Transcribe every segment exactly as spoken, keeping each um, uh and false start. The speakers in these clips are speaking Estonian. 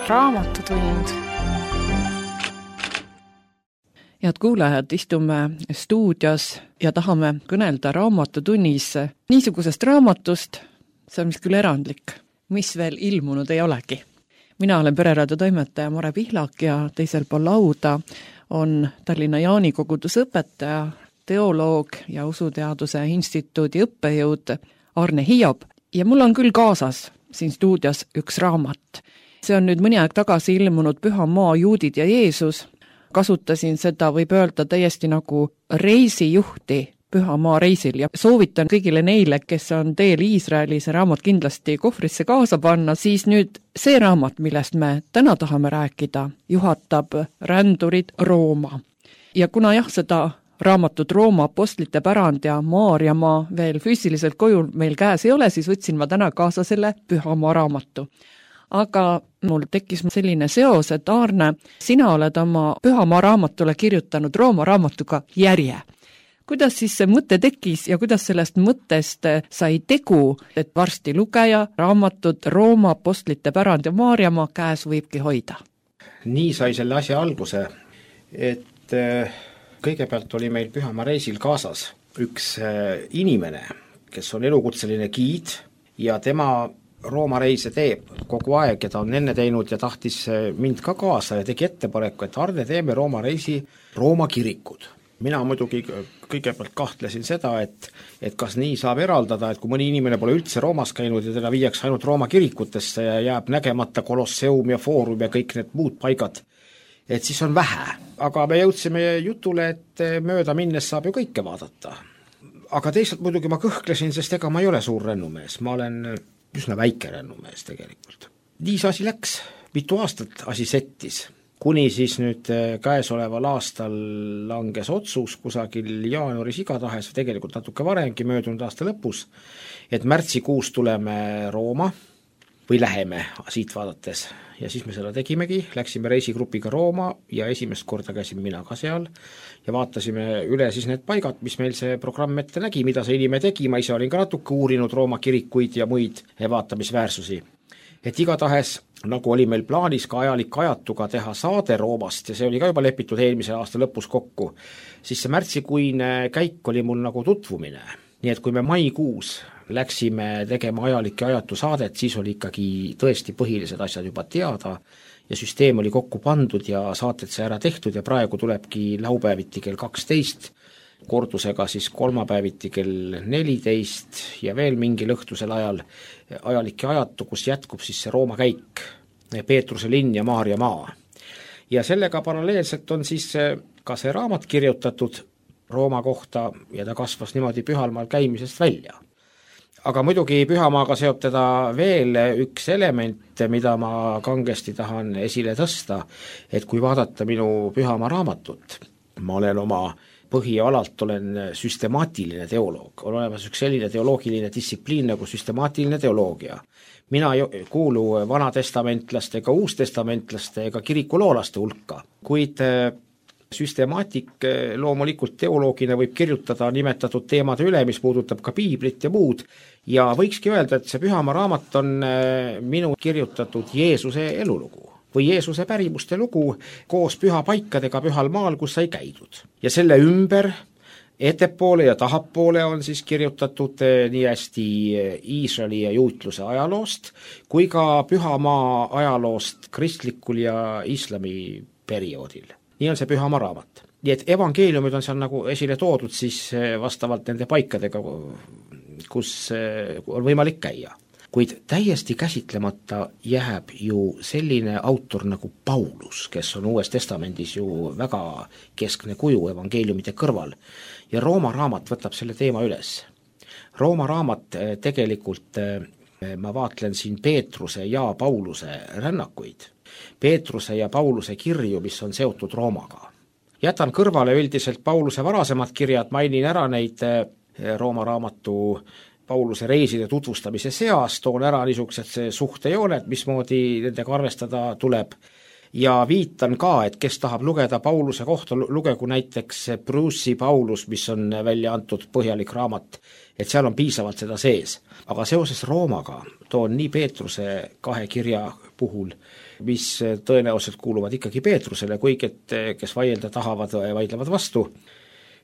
Raamatutund. Head kuulajad, istume stuudios ja tahame kõnelda raamatutunnis niisugusest raamatust, see on mis küll erandlik, mis veel ilmunud ei olegi. Mina olen Pereraadio toimetaja Mare Pihlak ja teisel pool lauda on Tallinna Jaani kogudusõpetaja, teoloog ja Usuteaduse Instituudi õppejõud Arne Hiob. Ja mul on küll kaasas siin stuudios üks raamat. See on nüüd mõni aeg tagasi ilmunud Püha maa, juudid ja Jeesus. Kasutasin seda, võib öelda, täiesti nagu reisijuhti Püha maa reisil ja soovitan kõigile neile, kes on teel Iisraeli, see raamat kindlasti kohvrisse kaasa panna, siis nüüd see raamat, millest me täna tahame rääkida, juhatab rändurid Rooma. Ja kuna jah, seda raamatut Rooma apostlite pärand ja Maarjamaa veel füüsiliselt koju meil käes ei ole, siis võtsin ma täna kaasa selle Püha maa raamatu. Aga mul tekkis selline seos, et Arne, sina oled oma Püha maa raamatule kirjutanud Rooma raamatuga järje. Kuidas siis see mõte tekkis ja kuidas sellest mõttest sai tegu, et varsti lugeja raamatut Rooma apostlite pärand ja Maarjamaa käes võibki hoida? Nii sai selle asja alguse, et kõigepealt oli meil Püha maa reisil kaasas üks inimene, kes on elukutseline giid ja tema Rooma reise teeb kogu aeg ja ta on enne teinud ja tahtis mind ka kaasa ja tegi ettepaneku, et Arne, teeme Rooma reisi Rooma kirikud. Mina muidugi kõigepealt kahtlesin seda, et, et kas nii saab eraldada, et kui mõni inimene pole üldse Roomas käinud ja teda viiaks ainult Rooma kirikutesse ja jääb nägemata Kolosseum ja Foorum ja kõik need muud paigad, et siis on vähe. Aga me jõudsime jutule, et mööda minnes saab ju kõike vaadata. Aga teisalt muidugi ma kõhklesin, sest ega ma ei ole suur rännumees, ma olen üsna väike rännumees tegelikult. Nii see asi läks, mitu aastat asi settis. Kuni siis nüüd käesoleval aastal langes otsus kusagil jaanuaris igatahes, tegelikult natuke varemgi möödunud aasta lõpus, et märtsikuus tuleme Rooma või läheme siit vaadates. Ja siis me seda tegimegi, läksime reisigrupiga Rooma ja esimest korda käisime mina ka seal ja vaatasime üle siis need paigad, mis meil see programm ette nägi, mida see inimene tegi, ma ise olin ka natuke uurinud Rooma kirikuid ja muid vaatamisväärsusi. Et igatahes, nagu oli meil plaanis ka ajalik ajatuga teha saade Roomast ja see oli ka juba lepitud eelmise aasta lõpus kokku, siis see märtsikuine käik oli mul nagu tutvumine. Nii et kui me maikuus läksime tegema ajalik ja ajatu saadet, siis oli ikkagi tõesti põhilised asjad juba teada ja süsteem oli kokku pandud ja saated sai ära tehtud ja praegu tulebki laupäeviti kell kaksteist, kordusega siis kolmapäeviti kell neliteist ja veel mingil õhtusel ajal ajalik ja ajatu, kus jätkub siis see Rooma käik, Peetruse linn ja Maarjamaa. Ja sellega paralleelselt on siis ka see raamat kirjutatud Rooma kohta ja ta kasvas niimoodi Pühalmaal käimisest välja. Aga muidugi Pühamaaga seob teda veel üks element, mida ma kangesti tahan esile tõsta, et kui vaadata minu Pühamaa raamatut, ma olen oma põhialalt olen süstemaatiline teoloog, on olemas üks selline teoloogiline distsipliin nagu süstemaatiline teoloogia. Mina ei kuulu vanatestamentlaste ega uustestamentlaste ega kirikuloolaste hulka, kuid süstemaatik loomulikult teoloogina võib kirjutada nimetatud teemade üle, mis puudutab ka piiblit ja muud, ja võikski öelda, et see Pühamaa raamat on minu kirjutatud Jeesuse elulugu või Jeesuse pärimuste lugu koos pühapaikadega Pühal maal, kus sai käidud. Ja selle ümber, ettepoole ja tahapoole on siis kirjutatud nii hästi Iisraeli ja juutluse ajaloost, kui ka Pühamaa ajaloost kristlikul ja islami perioodil. Nii on see Pühamaa raamat. Nii et evangeeliumid on seal nagu esile toodud siis vastavalt nende paikadega, kus on võimalik käia. Kuid täiesti käsitlemata jääb ju selline autor nagu Paulus, kes on Uues Testamendis ju väga keskne kuju evangeeliumide kõrval. Ja Rooma raamat võtab selle teema üles. Rooma raamat tegelikult, ma vaatlen siin Peetruse ja Pauluse rännakuid. Peetruse ja Pauluse kirju, mis on seotud Roomaga. Jätan kõrvale üldiselt Pauluse varasemad kirjad, mainin ära neid Rooma raamatu Pauluse reiside tutvustamise seas, toon ära niisugused suhtejooned, mismoodi nendega arvestada tuleb. Ja viitan ka, et kes tahab lugeda Pauluse kohta, lugegu näiteks Bruce'i Paulus, mis on välja antud põhjalik raamat, et seal on piisavalt seda sees. Aga seoses Roomaga toon nii Peetruse kahe kirja puhul, mis tõenäoliselt kuuluvad ikkagi Peetrusele, kuigi et kes vaielda tahavad, vaidlevad vastu.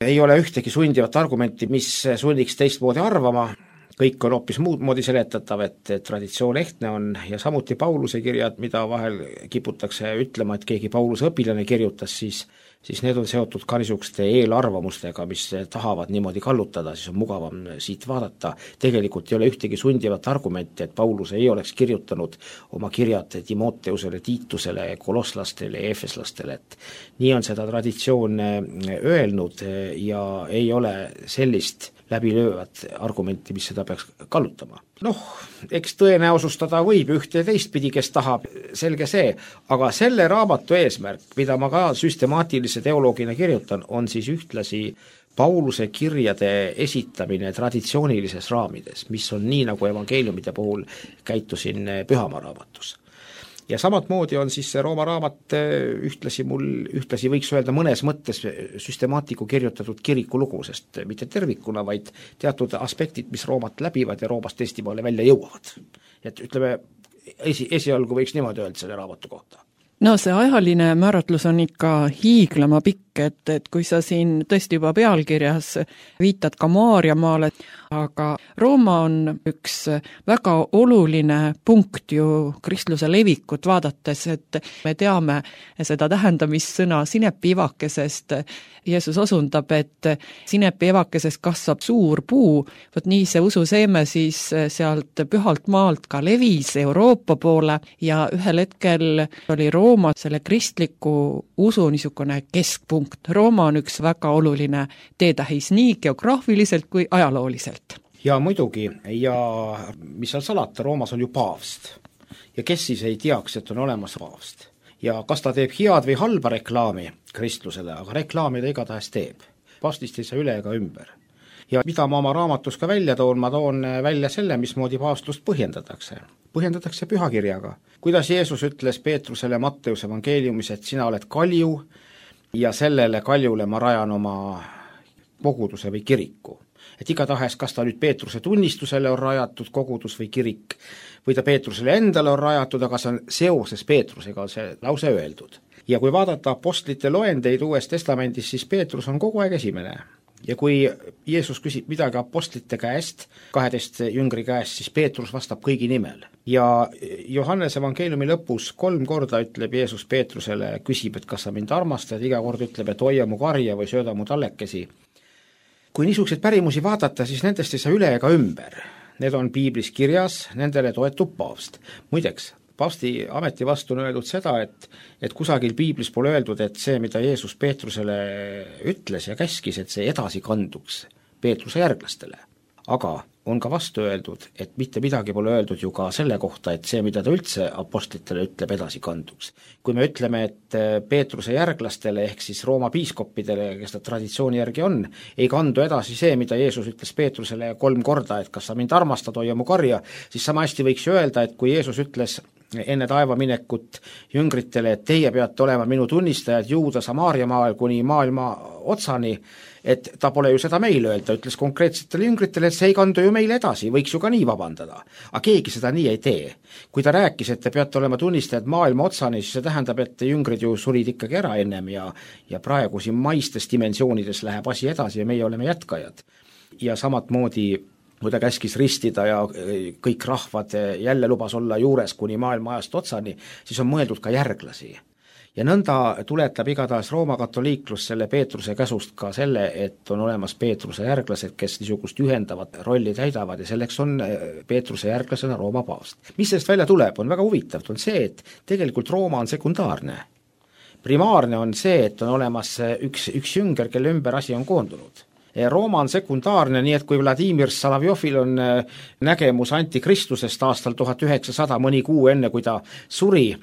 Ei ole ühtegi sundivat argumenti, mis sunniks teistmoodi arvama, kõik on hoopis muud moodi seletatav, et traditsioon ehtne on ja samuti Pauluse kirjad, mida vahel kiputakse ütlema, et keegi Pauluse õpilane kirjutas, siis, siis need on seotud ka niisuguste eelarvamustega, mis tahavad niimoodi kallutada, siis on mugavam siit vaadata. Tegelikult ei ole ühtegi sundivat argumenti, et Paulus ei oleks kirjutanud oma kirjad Timoteusele, Tiitusele, kolosslastele, efeslastele, et nii on seda traditsioon öelnud ja ei ole sellist läbilöövat argumenti, mis seda peaks kallutama. Noh, eks tõenäosustada võib ühte ja teistpidi, kes tahab, selge see, aga selle raamatu eesmärk, mida ma ka süstemaatilise teoloogina kirjutan, on siis ühtlasi Pauluse kirjade esitamine traditsioonilises raamides, mis on nii, nagu evangeeliumide puhul käitusin Pühamaa raamatus. Ja samat moodi on siis see Rooma raamat ühtlasi mul, ühtlasi võiks öelda mõnes mõttes süstemaatiku kirjutatud kirikulugu, sest mitte tervikuna, vaid teatud aspektid, mis Roomat läbivad ja Roomast Eestimaale välja jõuavad. Et ütleme, esi, esialgu võiks niimoodi öelda selle raamatu kohta. No see ajaline määratlus on ikka hiiglama pikk, et, et kui sa siin tõesti juba pealkirjas viitad ka Maarjamaale, aga Rooma on üks väga oluline punkt ju kristluse levikut vaadates, et me teame seda tähendamissõna sinepiivakesest. Jeesus osundab, et sinepiivakesest kasvab suur puu, võt nii see ususeeme siis sealt pühalt maalt ka levis Euroopa poole ja ühel hetkel oli Rooma selle kristliku usu niisugune keskpunkt. Rooma on üks väga oluline teetähis nii geograafiliselt kui ajalooliselt. Ja muidugi, ja mis seal salata, Roomas on ju paavst. Ja kes siis ei teaks, et on olemas paavst? Ja kas ta teeb head või halba reklaami kristlusele, aga reklaami ta igatahes teeb. Paavstist ei saa üle ega ümber. Ja mida ma oma raamatus ka välja toon, ma toon välja selle, mismoodi paavstlust põhjendatakse. Põhjendatakse pühakirjaga. Kuidas Jeesus ütles Peetrusele Matteuse evangeeliumis, et sina oled kalju ja sellele kaljule ma rajan oma koguduse või kiriku. Et igatahes, kas ta nüüd Peetruse tunnistusele on rajatud kogudus või kirik, või ta Peetrusele endale on rajatud, aga see on seoses Peetrusega see lause öeldud. Ja kui vaadata apostlite loendeid Uues Testamendis, siis Peetrus on kogu aeg esimene. Ja kui Jeesus küsib midagi apostlite käest, kaheteist jüngri käest, siis Peetrus vastab kõigi nimel. Ja Johannes evangeeliumi lõpus kolm korda ütleb Jeesus Peetrusele, küsib, et kas sa mind armastad, iga kord ütleb, et hoia mu karja või sööda mu tallekesi. Kui niisuguseid pärimusi vaadata, siis nendest ei saa üle ega ümber. Need on piiblis kirjas, nendele toetub paavst. Muideks, paavsti ameti vastu on öeldud seda, et, et kusagil piiblis pole öeldud, et see, mida Jeesus Peetrusele ütles ja käskis, et see edasi kanduks Peetruse järglastele. Aga on ka vastu öeldud, et mitte midagi pole öeldud ju ka selle kohta, et see, mida ta üldse apostlitele ütleb, edasi kanduks. Kui me ütleme, et Peetruse järglastele ehk siis Rooma piiskoppidele, kes ta traditsiooni järgi on, ei kandu edasi see, mida Jeesus ütles Peetrusele kolm korda, et kas sa mind armastad, hoia mu karja, siis sama hästi võiks öelda, et kui Jeesus ütles enne taeva minekut jüngritele, et teie peate olema minu tunnistajad Juuda Samaariamaal kuni maailma otsani, et ta pole ju seda meile öelda, ta ütles konkreetsetele jüngritele, et see ei kandu ju meile edasi, võiks ju ka nii vabandada. Aga keegi seda nii ei tee. Kui ta rääkis, et te peate olema tunnistajad maailma otsani, siis see tähendab, et jüngrid ju surid ikkagi ära ennem ja, ja praegu siin maistes dimensioonides läheb asi edasi ja meie oleme jätkajad. Ja samat moodi kui ta käskis ristida ja kõik rahvad jälle lubas olla juures kuni maailma ajast otsani, siis on mõeldud ka järglasi. Ja nõnda tuletab igatahes Rooma katoliiklus selle Peetruse käsust ka selle, et on olemas Peetruse järglased, kes niisugust ühendavat rolli täidavad ja selleks on Peetruse järglasena Rooma paavst. Mis sellest välja tuleb, on väga huvitav, on see, et tegelikult Rooma on sekundaarne. Primaarne on see, et on olemas üks, üks jünger, kelle ümber asi on koondunud. Rooma on sekundaarne, nii et kui Vladimir Salavjovil on nägemus antikristusest aastal tuhat üheksasada mõni kuu enne, kui ta suri,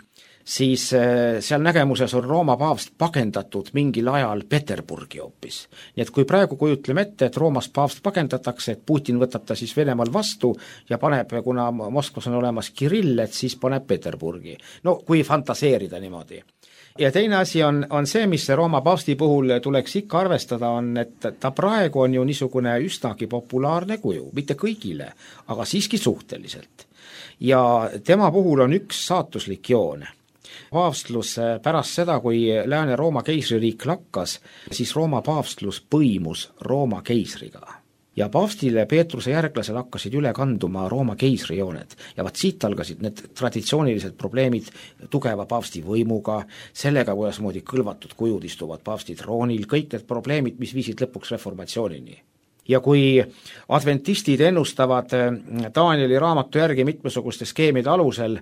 siis seal nägemuses on Rooma paavst pagendatud mingil ajal Peterburgi hoopis. Nii et kui praegu kujutleme ette, et Roomast paavst pagendatakse, et Putin võtab ta siis Venemaal vastu ja paneb, kuna Moskvas on olemas Kirill, et siis paneb Peterburgi. No kui fantaseerida niimoodi. Ja teine asi on, on see, mis Rooma paavsti puhul tuleks ikka arvestada, on, et ta praegu on ju niisugune üsnagi populaarne kuju, mitte kõigile, aga siiski suhteliselt. ja tema puhul on üks saatuslik joon. Paavstlus pärast seda, kui Lääne-Rooma keisririik lakkas, siis Rooma paavstlus põimus Rooma keisriga. Ja paavstile Peetruse järglased hakkasid üle kanduma Rooma keisrijooned ja vaat siit algasid need traditsioonilised probleemid tugeva paavsti võimuga, sellega, kuidas moodi kõlvatud kujud istuvad paavsti troonil, kõik need probleemid, mis viisid lõpuks reformatsioonini. Ja kui adventistid ennustavad Danieli raamatu järgi mitmesuguste skeemide alusel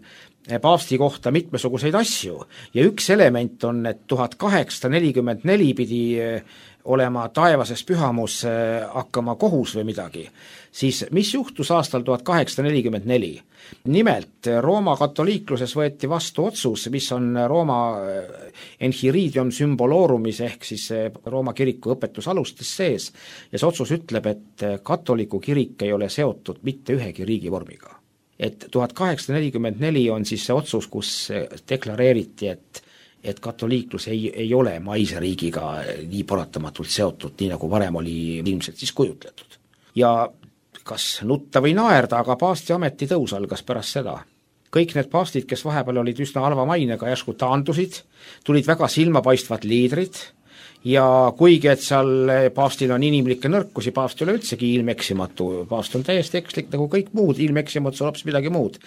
paavsti kohta mitmesuguseid asju ja üks element on, et tuhat kaheksasada nelikümmend neli pidi olema taevases pühamus hakkama kohus või midagi, siis mis juhtus aastal tuhat kaheksasada nelikümmend neli? Nimelt Rooma katoliikluses võeti vastu otsus, mis on Rooma Enchiridium Symbolorumis ehk siis Rooma kiriku õpetusalustes sees ja see otsus ütleb, et katoliku kirik ei ole seotud mitte ühegi riigivormiga. Et tuhat kaheksasada nelikümmend neli on siis see otsus, kus deklareeriti, et et katoliiklus ei, ei ole maise riigiga nii paratamatult seotud, nii nagu varem oli ilmselt siis kujutletud. Ja kas nutta või naerda, aga paavsti ametitõus algas pärast seda. Kõik need paavstid, kes vahepeal olid üsna halva mainega, järsku taandusid, tulid väga silmapaistvad liidrid ja kuigi, et seal paavstil on inimlikke nõrkusi, paavst ei ole üldsegi ilmeksimatu, paavst on täiesti ekslik nagu kõik muud, ilmeksimatu on hoopis midagi muud.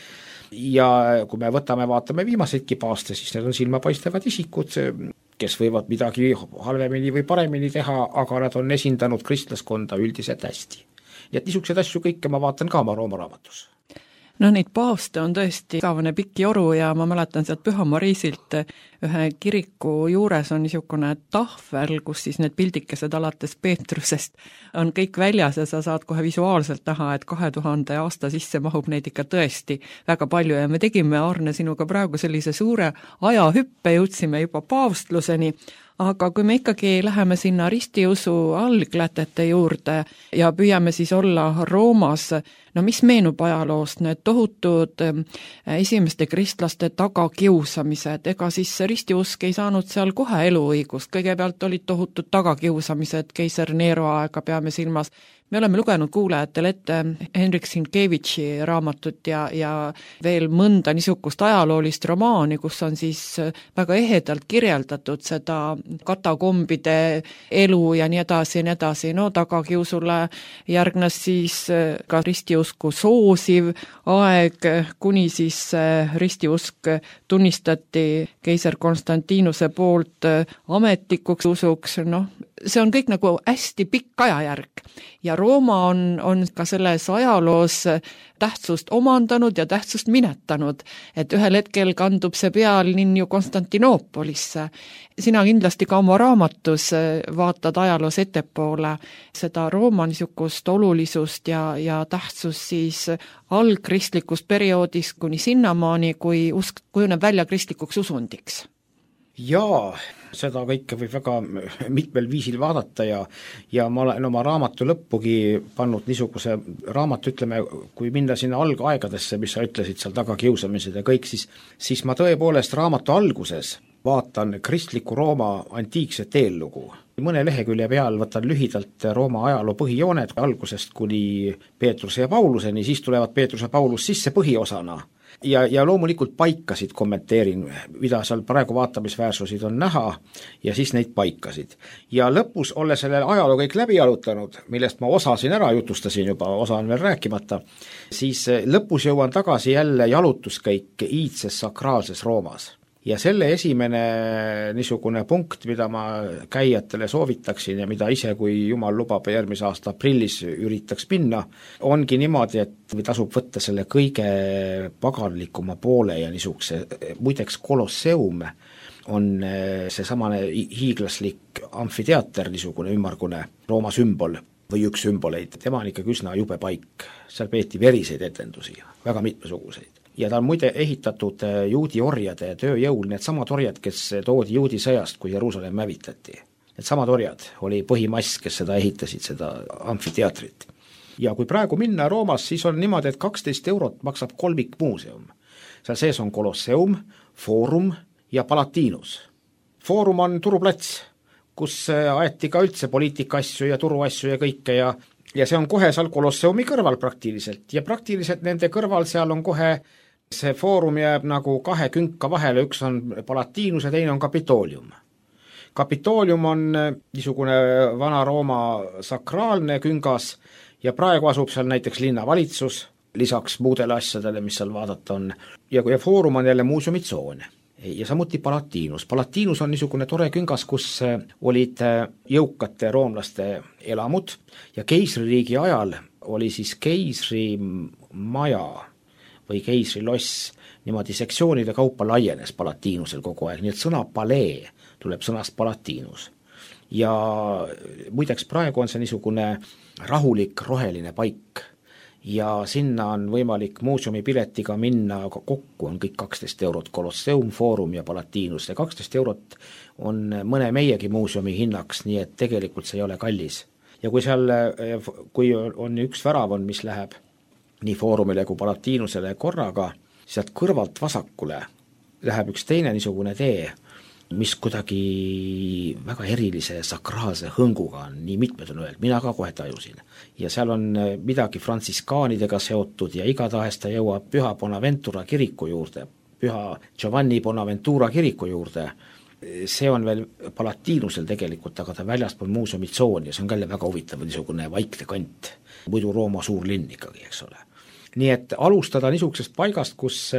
Ja kui me võtame, vaatame viimaseidki paaste, siis need on silmapaistavad isikud, kes võivad midagi halvemini või paremini teha, aga nad on esindanud kristlaskonda üldiselt hästi. Nii et niisuguseid asju kõike ma vaatan ka oma Rooma raamatus. No neid paavste on tõesti igavene pikk joru ja ma mäletan sealt Püha Mariisilt ühe kiriku juures on niisugune tahvel, kus siis need pildikesed alates Peetrusest on kõik väljas ja sa saad kohe visuaalselt näha, et kahe tuhande aasta sisse mahub neid ikka tõesti väga palju ja me tegime, Arne, sinuga praegu sellise suure ajahüppe, jõudsime juba paavstluseni, aga kui me ikkagi läheme sinna ristiusu alglätete juurde ja püüame siis olla Roomas, no mis meenub ajaloost, need tohutud esimeste kristlaste tagakiusamised, ega siis ristiusk ei saanud seal kohe eluõigust, kõigepealt olid tohutud tagakiusamised, keiser Nero aega peame silmas. Me oleme lugenud kuulajatele ette Henrik Sienkiewiczi raamatut ja, ja veel mõnda niisugust ajaloolist romaani, kus on siis väga ehedalt kirjeldatud seda katakombide elu ja nii edasi ja nii edasi. No tagakiusule järgnes siis ka ristiusku soosiv aeg, kuni siis ristiusk tunnistati keiser Konstantinuse poolt ametlikuks usuks, noh, see on kõik nagu hästi pikk ajajärg ja Rooma on, on ka selles ajaloos tähtsust omandanud ja tähtsust minetanud, et ühel hetkel kandub see pealinn ju Konstantinoopolisse. Sina kindlasti ka oma raamatus vaatad ajaloos ettepoole seda Rooma niisugust olulisust ja, ja tähtsust siis algkristlikus perioodis kuni sinnamaani, kui usk kujuneb välja kristlikuks usundiks. Jaa, seda kõike võib väga mitmel viisil vaadata ja, ja ma olen oma raamatu lõppugi pannud niisuguse raamatu, ütleme, kui minna sinna algaegadesse, mis sa ütlesid seal tagakiusamised ja kõik, siis, siis ma tõepoolest raamatu alguses vaatan kristliku Rooma antiikset eellugu. Mõne lehekülje peal võtan lühidalt Rooma ajaloo põhijooned algusest kuni Peetruse ja Pauluseni, siis tulevad Peetrus ja Paulus sisse põhiosana. Ja, ja loomulikult paikasid kommenteerin, mida seal praegu vaatamisväärsusid on näha ja siis neid paikasid. Ja lõpus ole selle ajaloo kõik läbi alutanud, millest ma osasin ära jutustasin juba, osa on veel rääkimata, siis lõpus jõuan tagasi jälle jalutuskäik iidses sakraalses Roomas. Ja selle esimene niisugune punkt, mida ma käijatele soovitaksin ja mida ise, kui jumal lubab järgmise aasta aprillis üritaks minna, ongi niimoodi, et tasub võtta selle kõige paganlikuma poole ja niisuguse, muideks Kolosseum on seesamane hiiglaslik amfiteater, niisugune ümmargune Rooma sümbol või üks sümboleid, tema on ikkagi üsna jube paik, seal peeti veriseid etendusi, väga mitmesuguseid. Ja ta on muide ehitatud juudi orjade tööjõul, need samad orjad, kes toodi juudi sõjast, kui Jeruusalemm hävitati. Need samad orjad oli põhimass, kes seda ehitasid, seda amfiteatrit. Ja kui praegu minna Roomas, siis on niimoodi, et kaksteist eurot maksab kolmik muuseum. Seal sees on Kolosseum, Foorum ja Palatinus. Foorum on turuplats, kus aeti ka üldse poliitikaasju ja turuasju ja kõike ja ja see on kohe seal Kolosseumi kõrval praktiliselt ja praktiliselt nende kõrval seal on kohe see foorum jääb nagu kahe künka vahele, üks on Palatinus ja teine on Capitolium. Capitolium on niisugune Vana-Rooma sakraalne küngas ja praegu asub seal näiteks linnavalitsus, lisaks muudele asjadele, mis seal vaadata on, ja, ja foorum on jälle muuseumitsoon. Ja samuti Palatinus. Palatinus on niisugune tore küngas, kus olid jõukate roomlaste elamud ja keisririigi ajal oli siis keisri maja või keisriloss niimoodi sektsioonide kaupa laienes Palatinusel kogu aeg, nii et sõna palee tuleb sõnast Palatinus. Ja muideks praegu on see niisugune rahulik roheline paik ja sinna on võimalik muuseumipiletiga minna, aga kokku on kõik kaksteist eurot, Colosseum, Foorum ja Palatinus, ja kaksteist eurot on mõne meiegi muuseumi hinnaks, nii et tegelikult see ei ole kallis. Ja kui seal, kui on üks värav on, mis läheb nii Foorumile kui Palatinusele korraga, sealt kõrvalt vasakule läheb üks teine niisugune tee, mis kuidagi väga erilise sakraalse hõnguga on, nii mitmed on öelnud, mina ka kohe tajusin. Ja seal on midagi frantsiskaanidega seotud ja igatahes ta jõuab Püha Bonaventura kiriku juurde, Püha Giovanni Bonaventura kiriku juurde. See on veel Palatinusel tegelikult, aga ta väljaspool muuseumitsooni ja see on ka väga huvitav niisugune vaikne kant, muidu Rooma suur linn ikkagi, eks ole. Nii et alustada niisugusest paigast, kus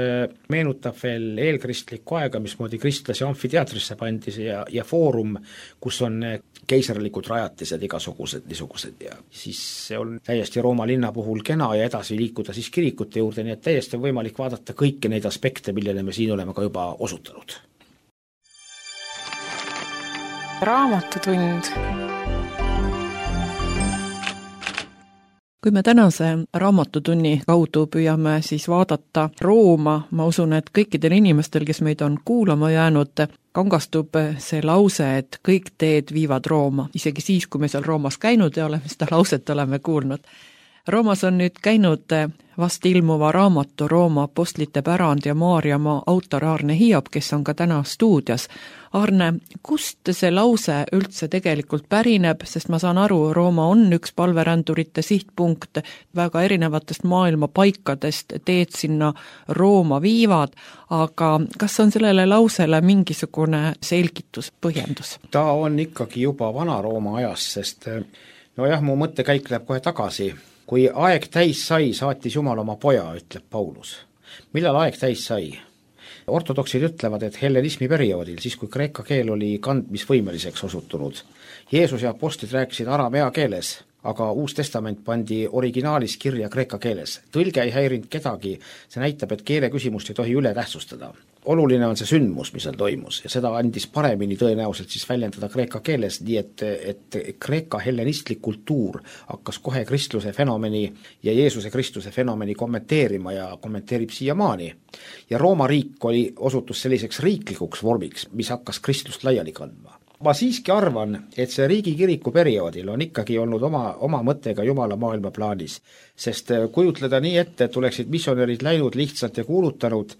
meenutab veel eelkristlikku aega, mismoodi kristlasi amfiteatrisse pandis ja, ja foorum, kus on keisarlikud rajatised igasugused niisugused ja siis see on täiesti Rooma linna puhul kena ja edasi liikuda siis kirikute juurde, nii et täiesti on võimalik vaadata kõiki neid aspekte, millele me siin oleme ka juba osutanud. Raamatutund. Kui me tänase raamatutunni kaudu püüame siis vaadata Rooma, ma usun, et kõikidel inimestel, kes meid on kuulama jäänud, kangastub see lause, et kõik teed viivad Rooma, isegi siis, kui me seal Roomas käinud ja oleme seda lauset oleme kuulnud. Roomas on nüüd käinud vast ilmuva raamatu Rooma apostlite pärand ja Maarjamaa autor Aarne Hiiop, kes on ka täna stuudios. Aarne, kust see lause üldse tegelikult pärineb, sest ma saan aru, Rooma on üks palverändurite sihtpunkt, väga erinevatest maailma paikadest teed sinna Rooma viivad, aga kas on sellele lausele mingisugune selgitus, põhjendus? Ta on ikkagi juba Vana-Rooma ajas, sest no jah, mu mõttekäik läheb kohe tagasi. Kui aeg täis sai, saatis Jumal oma poja, ütleb Paulus. Millal aeg täis sai? Ortodoksid ütlevad, et hellenismi perioodil, siis kui kreeka keel oli kandmisvõimeliseks osutunud. Jeesus ja apostlid rääkisid aramea keeles, aga Uus Testament pandi originaalis kirja kreeka keeles. Tõlge ei häirinud kedagi, see näitab, et keele küsimust ei tohi üle tähtsustada. Oluline on see sündmus, mis seal toimus ja seda andis paremini tõenäoliselt siis väljendada kreeka keeles, nii et, et kreeka hellenistlik kultuur hakkas kohe kristluse fenomeni ja Jeesuse Kristuse fenomeni kommenteerima ja kommenteerib siiamaani. Ja Rooma riik oli osutus selliseks riiklikuks vormiks, mis hakkas kristlust laiali kandma. Ma siiski arvan, et see riigikiriku perioodil on ikkagi olnud oma, oma mõttega Jumala maailma plaanis, sest kujutleda nii ette, et oleksid missionärid läinud lihtsalt ja kuulutanud,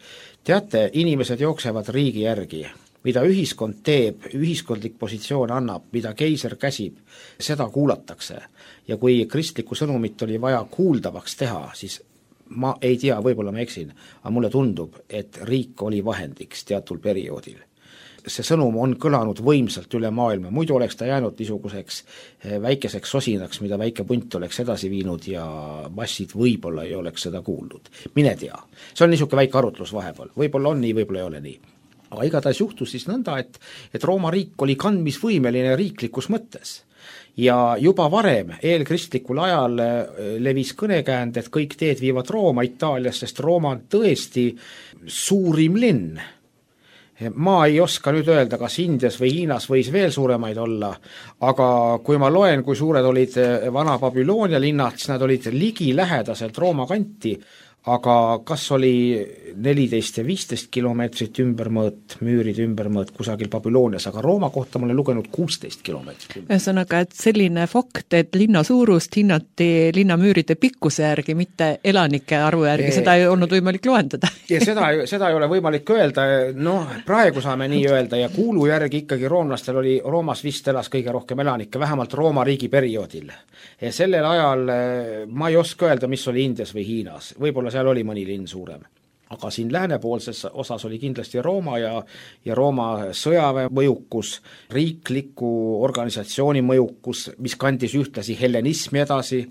teate, inimesed jooksevad riigi järgi, mida ühiskond teeb, ühiskondlik positsioon annab, mida keiser käsib, seda kuulatakse. Ja kui kristlikku sõnumit oli vaja kuuldavaks teha, siis ma ei tea, võib-olla ma eksin, aga mulle tundub, et riik oli vahendiks teatul perioodil. See sõnum on kõlanud võimsalt üle maailma, muidu oleks ta jäänud niisuguseks väikeseks sosinaks, mida väike punt oleks edasi viinud ja massid võib-olla ei oleks seda kuulnud. Mine tea. See on niisugune väike arutlus vahepeal. Võib-olla on nii, võib-olla ei ole nii. Aga igatahes juhtus siis nõnda, et, et Rooma riik oli kandmisvõimeline riiklikus mõttes. Ja juba varem, eelkristlikul ajal levis kõnekäänd, et kõik teed viivad Rooma Itaalias, sest Rooma on tõesti suurim linn. Ma ei oska nüüd öelda, kas Indias või Hiinas võis veel suuremaid olla, aga kui ma loen, kui suured olid vana Babyloonia linnad, siis nad olid ligi lähedaselt Rooma kanti, aga kas oli neliteist ja viisteist kilomeetrit ümbermõõt, müürid ümbermõõt kusagil Babylonias, aga Rooma kohta ma olen lugenud kuusteist kilomeetrit. Ühesõnaga, et selline fakt, et linna suurust hinnati linnamüüride pikkuse järgi, mitte elanike arvu järgi, e... seda ei olnud võimalik loendada. ja seda, seda ei ole võimalik öelda, noh, praegu saame nii öelda ja kuulu järgi ikkagi roomlastel oli, Roomas vist elas kõige rohkem elanikke, vähemalt Rooma riigi perioodil. Ja sellel ajal ma ei oska öelda, mis oli Indias või Hiinas, võib-olla seal oli mõni linn suurem. aga siin läänepoolses osas oli kindlasti Rooma ja, ja Rooma sõjaväe mõjukus, riikliku organisatsiooni mõjukus, mis kandis ühtlasi hellenismi edasi,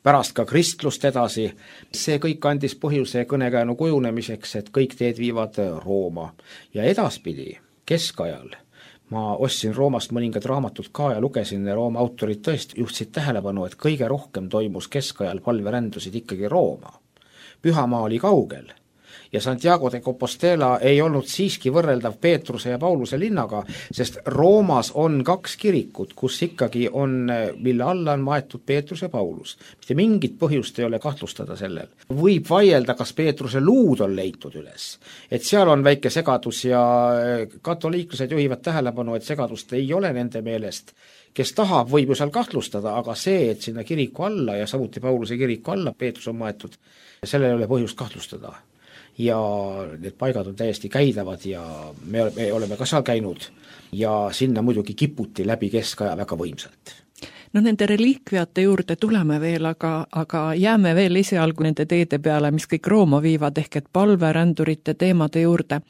pärast ka kristlust edasi. See kõik andis põhjuse kõnekäänu kujunemiseks, et kõik teed viivad Rooma. Ja edaspidi, keskajal, ma ostsin Roomast mõningad raamatud ka ja lugesin, Rooma autorid tõesti juhtisid tähelepanu, et kõige rohkem toimus keskajal palverändusid ikkagi Rooma. Pühamaa oli kaugel ja Santiago de Compostela ei olnud siiski võrreldav Peetruse ja Pauluse linnaga, sest Roomas on kaks kirikut, kus ikkagi on, mille alla on maetud Peetrus ja Paulus. Mitte mingit põhjust ei ole kahtlustada sellel. Võib vaielda, kas Peetruse luud on leitud üles, et seal on väike segadus ja katoliiklased juhivad tähelepanu, et segadust ei ole nende meelest. Kes tahab, võib ju seal kahtlustada, aga see, et sinna kiriku alla ja samuti Pauluse kiriku alla Peetrus on maetud, sellel ei ole põhjust kahtlustada. Ja need paigad on täiesti käidavad ja me, me oleme ka seal käinud ja sinna muidugi kiputi läbi keskaja väga võimsalt. No nende reliikviate juurde tuleme veel, aga, aga jääme veel esialgu nende teede peale, mis kõik Rooma viivad, ehk et palverändurite teemade juurde.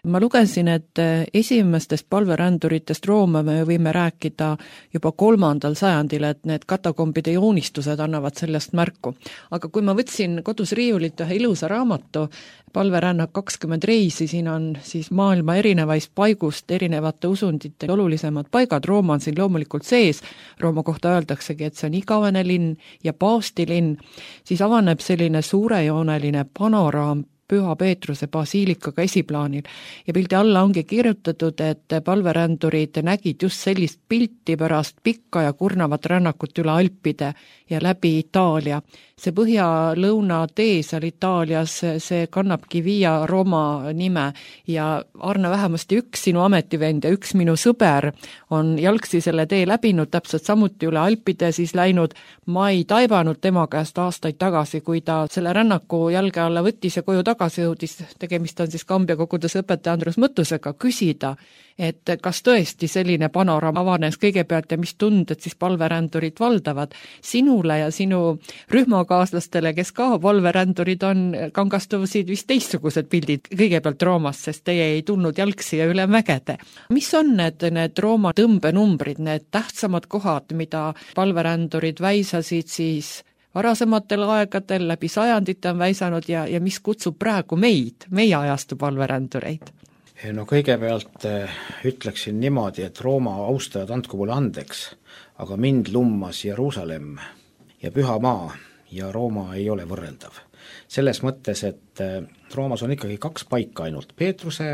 Ma lugesin, et esimestest palveränduritest Rooma me võime rääkida juba kolmandal sajandil, et need katakombide joonistused annavad sellest märku. Aga kui ma võtsin kodus riiulit ühe ilusa raamatu, palverännak kakskümmend reisi, siin on siis maailma erinevais paigust erinevate usundite olulisemad paigad, Rooma on siin loomulikult sees, Rooma kohta öeldaksegi, et see on igavene linn ja paavstilinn, siis avaneb selline suurejooneline panoraam Püha Peetruse basiilikaga esiplaanil ja pildi alla ongi kirjutatud, et palverändurid nägid just sellist pilti pärast pikka ja kurnavat rännakut üle Alpide ja läbi Itaalia. See põhja-lõuna tee seal Itaalias, see kannabki Via Roma nime ja Arne, vähemasti üks sinu ametivend ja üks minu sõber on jalgsi selle tee läbinud, täpselt samuti üle Alpide siis läinud. Ma ei taibanud tema käest aastaid tagasi, kui ta selle rännaku jalge alla võttis ja koju tagasi jõudis, tegemist on siis Kambja koguduse õpetaja Andrus Mõttusega, küsida, et kas tõesti selline panoraam avanes kõigepealt ja mis tunded siis palverändurid valdavad. Sinule ja sinu rühmakaaslastele, kes ka palverändurid on, kangastusid vist teistsugused pildid kõigepealt Roomast, sest teie ei tulnud jalgsi ja üle mägede. Mis on need, need Rooma tõmbenumbrid, need tähtsamad kohad, mida palverändurid väisasid siis varasematel aegadel, läbi sajandite on väisanud ja, ja mis kutsub praegu meid, meie ajastu palverändureid? No kõigepealt ütleksin niimoodi, et Rooma austajad andku mulle andeks, aga mind lummas Jeruusalemm ja Püha Maa ja Rooma ei ole võrreldav. Selles mõttes, et Roomas on ikkagi kaks paika ainult, Peetruse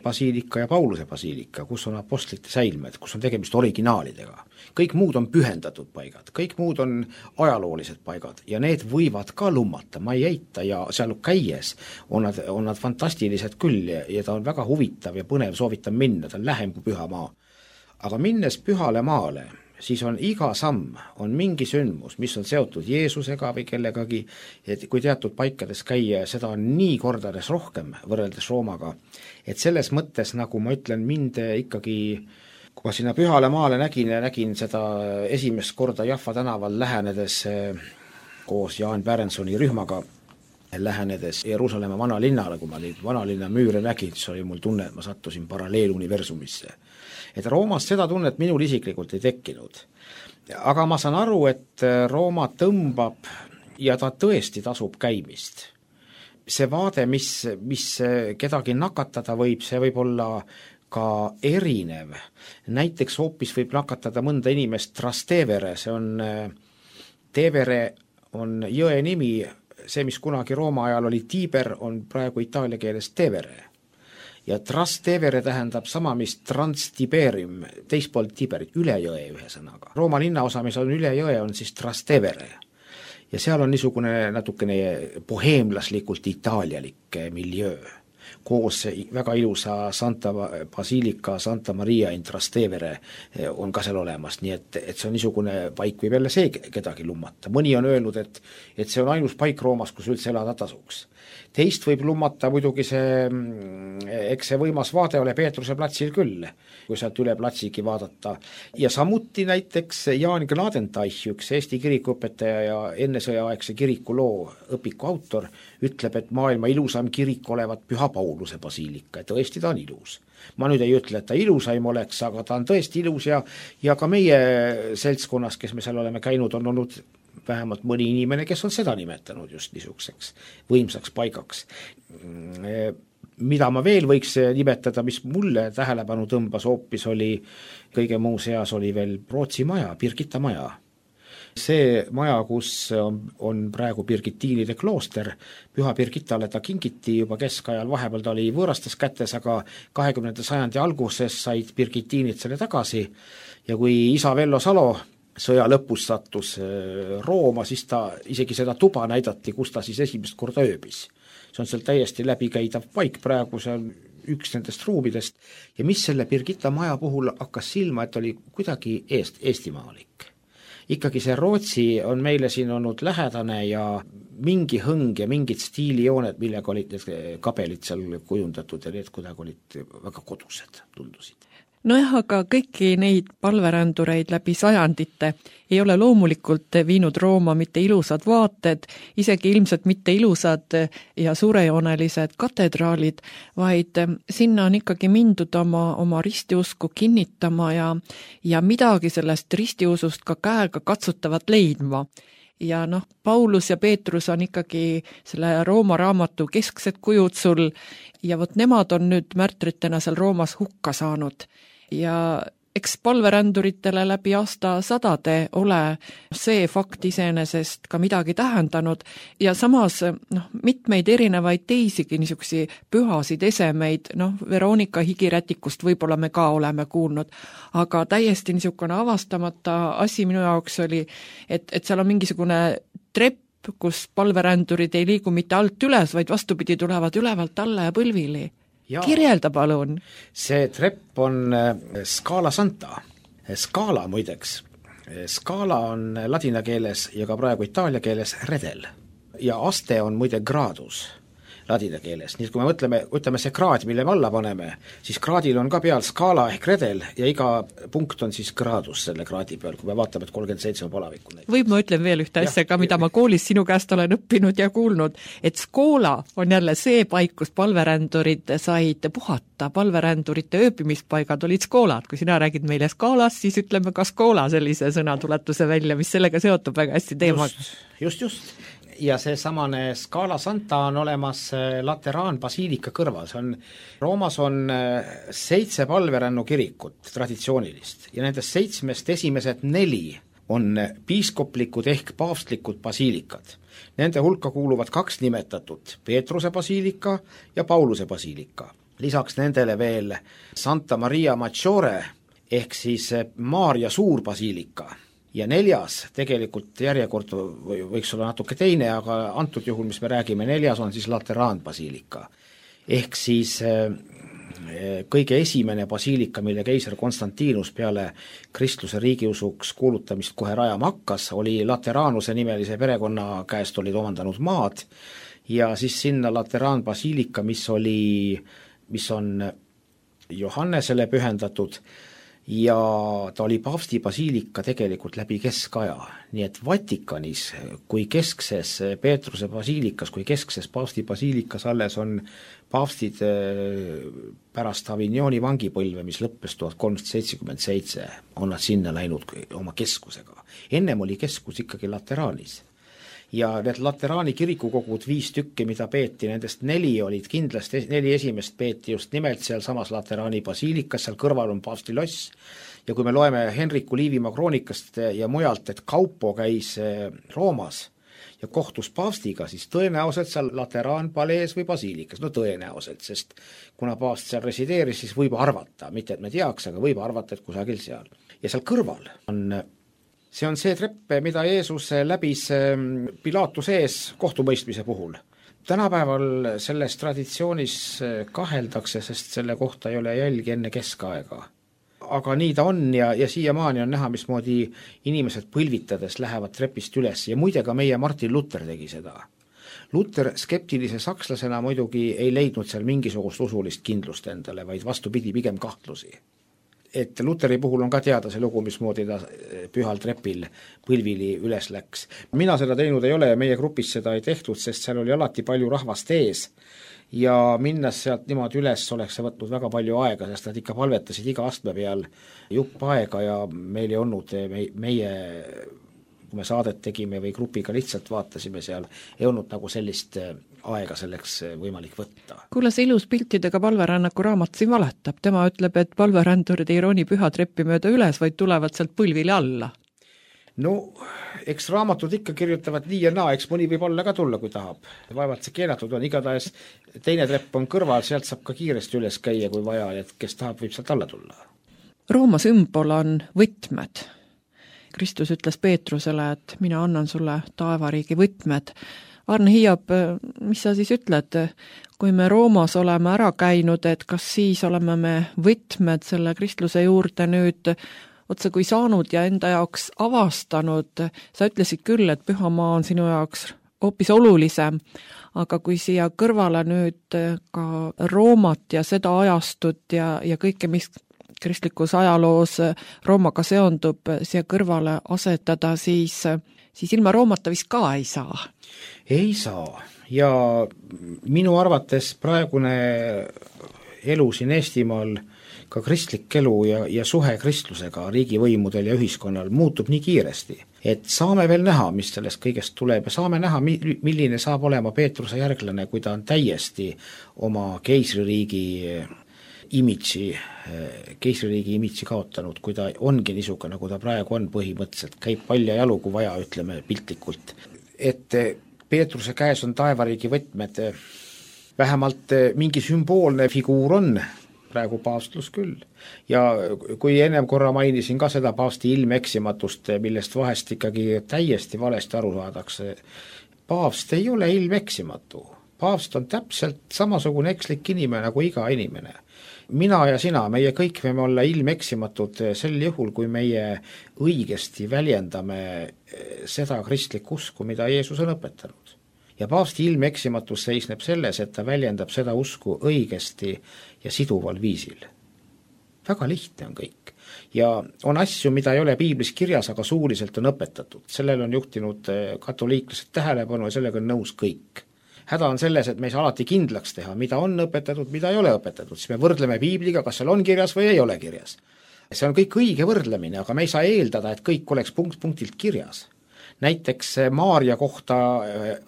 basiilika ja Pauluse basiilika, kus on apostlite säilmed, kus on tegemist originaalidega. Kõik muud on pühendatud paigad, kõik muud on ajaloolised paigad ja need võivad ka lummata, ma ei eita ja seal käies on nad, on nad fantastilised küll ja, ja ta on väga huvitav ja põnev, soovitan minna, ta on lähem kui Püha Maa. Aga minnes Pühale Maale, siis on iga samm, on mingi sündmus, mis on seotud Jeesusega või kellegagi, et kui teatud paikades käia, seda on nii kordades rohkem võrreldes Roomaga, et selles mõttes, nagu ma ütlen, mind ikkagi, kui ma sinna Pühale Maale nägin ja nägin seda esimest korda Jaffa tänaval lähenedes koos Jaan Pärensoni rühmaga, lähenedes Jeruusalemma vanalinnale, kui ma neid vanalinna müüre nägin, siis oli mul tunne, et ma sattusin paralleeluniversumisse. Et Roomas seda tunnet minul isiklikult ei tekkinud. Aga ma saan aru, et Rooma tõmbab ja ta tõesti tasub käimist. See vaade, mis, mis kedagi nakatada võib, see võib olla ka erinev. Näiteks hoopis võib nakatada mõnda inimest Trastevere, see on, Tevere on jõe nimi, see, mis kunagi Rooma ajal oli Tiber, on praegu itaalia keeles Tevere. Ja Trastevere tähendab sama, mis Transtiberium, teispool Tiberit, üle jõe ühe sõnaga. Rooma linnaosa, mis on üle jõe, on siis Trastevere. Ja seal on niisugune natukene boheemlaslikult itaalialik miljöö, koos väga ilusa Santa Basilica Santa Maria in Trastevere on ka seal olemas, nii et, et see on niisugune paik, võib jälle see kedagi lummata. Mõni on öelnud, et, et see on ainus paik Roomas, kus üldse elada tasuks. Teist võib lummata muidugi see, eks see võimas vaade ole Peetruse platsil küll, kui sealt üle platsigi vaadata. Ja samuti näiteks Jaan Gnadenteich, üks Eesti kirikuõpetaja ja ennesõjaaegse kirikuloo õpiku autor, ütleb, et maailma ilusam kirik olevat Püha Pauluse basiilika, et tõesti ta on ilus. Ma nüüd ei ütle, et ta ilusaim oleks, aga ta on tõesti ilus ja, ja ka meie seltskonnas, kes me seal oleme käinud, on olnud vähemalt mõni inimene, kes on seda nimetanud just niisuguseks võimsaks paigaks. Mida ma veel võiks nimetada, mis mulle tähelepanu tõmbas hoopis, oli kõige muu seas oli veel Rootsi maja, Birgitta maja. See maja, kus on, on praegu Birgittiinide klooster, Püha Birgittale ta kingiti juba keskajal, vahepeal ta oli võõrastes kätes, aga kahekümnenda sajandi alguses said Birgittiinid selle tagasi ja kui isa Vello Salo sõja lõpus sattus Rooma, siis ta isegi seda tuba näidati, kus ta siis esimest korda ööbis. See on seal täiesti läbikäidav paik praegu, see on üks nendest ruumidest ja mis selle Birgitta maja puhul hakkas silma, et oli kuidagi eest, eestimaalik. Ikkagi see Rootsi on meile siin olnud lähedane ja mingi hõng ja mingid stiilijooned, millega olid need kabelid seal kujundatud ja need kuidagi olid väga kodused, tundusid. Nojah, aga kõiki neid palverändureid läbi sajandite ei ole loomulikult viinud Rooma mitte ilusad vaated, isegi ilmselt mitte ilusad ja suurejoonelised katedraalid, vaid sinna on ikkagi mindud oma, oma ristiusku kinnitama ja, ja midagi sellest ristiusust ka käega katsutavat leidma. Ja noh, Paulus ja Peetrus on ikkagi selle Rooma raamatu kesksed kujud sul ja vot nemad on nüüd märtritena seal Roomas hukka saanud. Ja eks palveränduritele läbi aasta sadade ole see fakt iseenesest ka midagi tähendanud ja samas noh, mitmeid erinevaid teisigi niisugusi pühasid esemeid, noh, Veronika higirätikust võib-olla me ka oleme kuulnud, aga täiesti niisugune avastamata asi minu jaoks oli, et, et seal on mingisugune trepp, kus palverändurid ei liigu mitte alt üles, vaid vastupidi tulevad ülevalt alla ja põlvili. Ja, kirjelda palun. See trepp on Scala Santa. Scala muideks. Scala on ladina keeles ja ka praegu itaalia keeles redel. Ja aste on muide gradus ladina keeles. Nii kui me mõtleme, ütleme see kraad, mille me alla paneme, siis kraadil on ka peal skaala ehk redel ja iga punkt on siis gradus selle kraadi peal, kui me vaatame, et kolmkümmend seitse palavikku. Võib ma ütlen veel ühte asja ka, mida ma koolis sinu käest olen õppinud ja kuulnud, et skoola on jälle see paik, kus palverändurid said puhata, palverändurite ööbimispaigad olid skoolad, kui sina räägid meile skaalast, siis ütleme ka skoola sellise sõnatuletuse välja, mis sellega seotub väga hästi teemaga. Just, just, just. Ja see samane Scala Santa on olemas Lateraan basiilika kõrval, see on, Roomas on seitse palverännu kirikut traditsioonilist ja nendest seitsmest esimesed neli on piiskoplikud ehk paavstlikud basiilikad. Nende hulka kuuluvad kaks nimetatud, Peetruse basiilika ja Pauluse basiilika. Lisaks nendele veel Santa Maria Maggiore ehk siis Maarja suur basiilika. Ja neljas, tegelikult järjekord võiks olla natuke teine, aga antud juhul, mis me räägime, neljas on siis Lateraan basiilika. Ehk siis kõige esimene basiilika, mille keiser Konstantinus peale kristluse riigiusuks kuulutamist kohe rajama hakkas, oli Lateraanuse nimelise perekonna käest olid omandanud maad ja siis sinna Lateraan basiilika, mis oli, mis on Johannesele pühendatud, ja ta oli paavsti basiilika tegelikult läbi keskaja, nii et Vatikanis kui keskses Peetruse basiilikas, kui keskses paavsti basiilikas alles on paavstid pärast Avignoni vangipõlve, mis lõppes tuhat kolmsada seitsekümmend seitse, on nad sinna läinud oma keskusega. Ennem oli keskus ikkagi Lateraanis. Ja need Lateraani kirikukogud viis tükki, mida peeti, nendest neli olid kindlasti, neli esimest peeti just nimelt seal samas Lateraani basiilikas, seal kõrval on paavsti loss ja kui me loeme Henriku Liivimaa kroonikast ja mujalt, et Kaupo käis Roomas ja kohtus paavstiga, siis tõenäoliselt seal Lateraan palees või basiilikas, no tõenäoliselt, sest kuna paavst seal resideeris, siis võib arvata, mitte et me teaks, aga võib arvata, et kusagil seal. Ja seal kõrval on See on see trepp, mida Jeesus läbis Pilaatuse ees kohtumõistmise puhul. tänapäeval selles traditsioonis kaheldakse, sest selle kohta ei ole jälgi enne keskaega. Aga nii ta on ja, ja siiamaani on näha, mismoodi inimesed põlvitades lähevad trepist üles ja muide ka meie Martin Luther tegi seda. Luther skeptilise sakslasena muidugi ei leidnud seal mingisugust usulist kindlust endale, vaid vastupidi pigem kahtlusi. Et Lutheri puhul on ka teada see lugu, mismoodi ta pühal trepil põlvili üles läks. Mina seda teinud ei ole ja meie grupis seda ei tehtud, sest seal oli alati palju rahvast ees ja minnes sealt niimoodi üles oleks see võtnud väga palju aega, sest nad ikka palvetasid iga astme peal jupp aega ja meil ei olnud meie, kui me saadet tegime või grupiga lihtsalt vaatasime seal, ei olnud nagu sellist aega selleks võimalik võtta. Kuule, see ilus piltidega palverännaku raamat siin valetab. Tema ütleb, et palverändurid ei rooni püha treppi mööda üles, vaid tulevad sealt põlvili alla. No, eks raamatud ikka kirjutavad nii ja naa, eks mõni võib olla ka tulla, kui tahab. Vaevalt see keelatud on, igatahes teine trepp on kõrval, sealt saab ka kiiresti üles käia, kui vaja, et kes tahab, võib sealt alla tulla. Rooma sümbol on võtmed. Kristus ütles Peetrusele, et mina annan sulle taevariigi võtmed. Arne Hiiab, mis sa siis ütled, kui me Roomas oleme ära käinud, et kas siis oleme me võtmed selle kristluse juurde nüüd otse kui saanud ja enda jaoks avastanud? Sa ütlesid küll, et pühamaa on sinu jaoks hoopis olulisem, aga kui siia kõrvale nüüd ka Roomat ja seda ajastut ja, ja kõike, mis kristlikus ajaloos Roomaga seondub, siia kõrvale asetada, siis, siis ilma Roomata vist ka ei saa. Ei saa ja minu arvates praegune elu siin Eestimaal, ka kristlik elu ja, ja suhe kristlusega riigivõimudel ja ühiskonnal muutub nii kiiresti, et saame veel näha, mis sellest kõigest tuleb ja saame näha, milline saab olema Peetruse järglane, kui ta on täiesti oma keisririigi imidži, keisririigi imidži kaotanud, kui ta ongi niisugune, nagu ta praegu on põhimõtteliselt, käib palja jalu, kui vaja, ütleme piltlikult. Et Peetruse käes on taevariigi võtmed, vähemalt mingi sümboolne figuur on, praegu paavstlus küll. Ja kui ennem korra mainisin ka seda paavsti ilmeksimatust, millest vahest ikkagi täiesti valesti aru saadakse, paavst ei ole ilmeksimatu. Paavst on täpselt samasugune ekslik inimene nagu iga inimene. Mina ja sina, meie kõik võime olla ilmeksimatud sel juhul, kui meie õigesti väljendame seda kristlikku usku, mida Jeesus on õpetanud. Ja paavsti ilmeksimatus seisneb selles, et ta väljendab seda usku õigesti ja siduval viisil. Väga lihtne on kõik. Ja on asju, mida ei ole piiblis kirjas, aga suuliselt on õpetatud. Sellel on juhtinud katoliiklased tähelepanu ja sellega on nõus kõik. Häda on selles, et me ei saa alati kindlaks teha, mida on õpetatud, mida ei ole õpetatud, siis me võrdleme piibliga, kas seal on kirjas või ei ole kirjas. See on kõik õige võrdlemine, aga me ei saa eeldada, et kõik oleks punkt punktilt kirjas. Näiteks Maaria kohta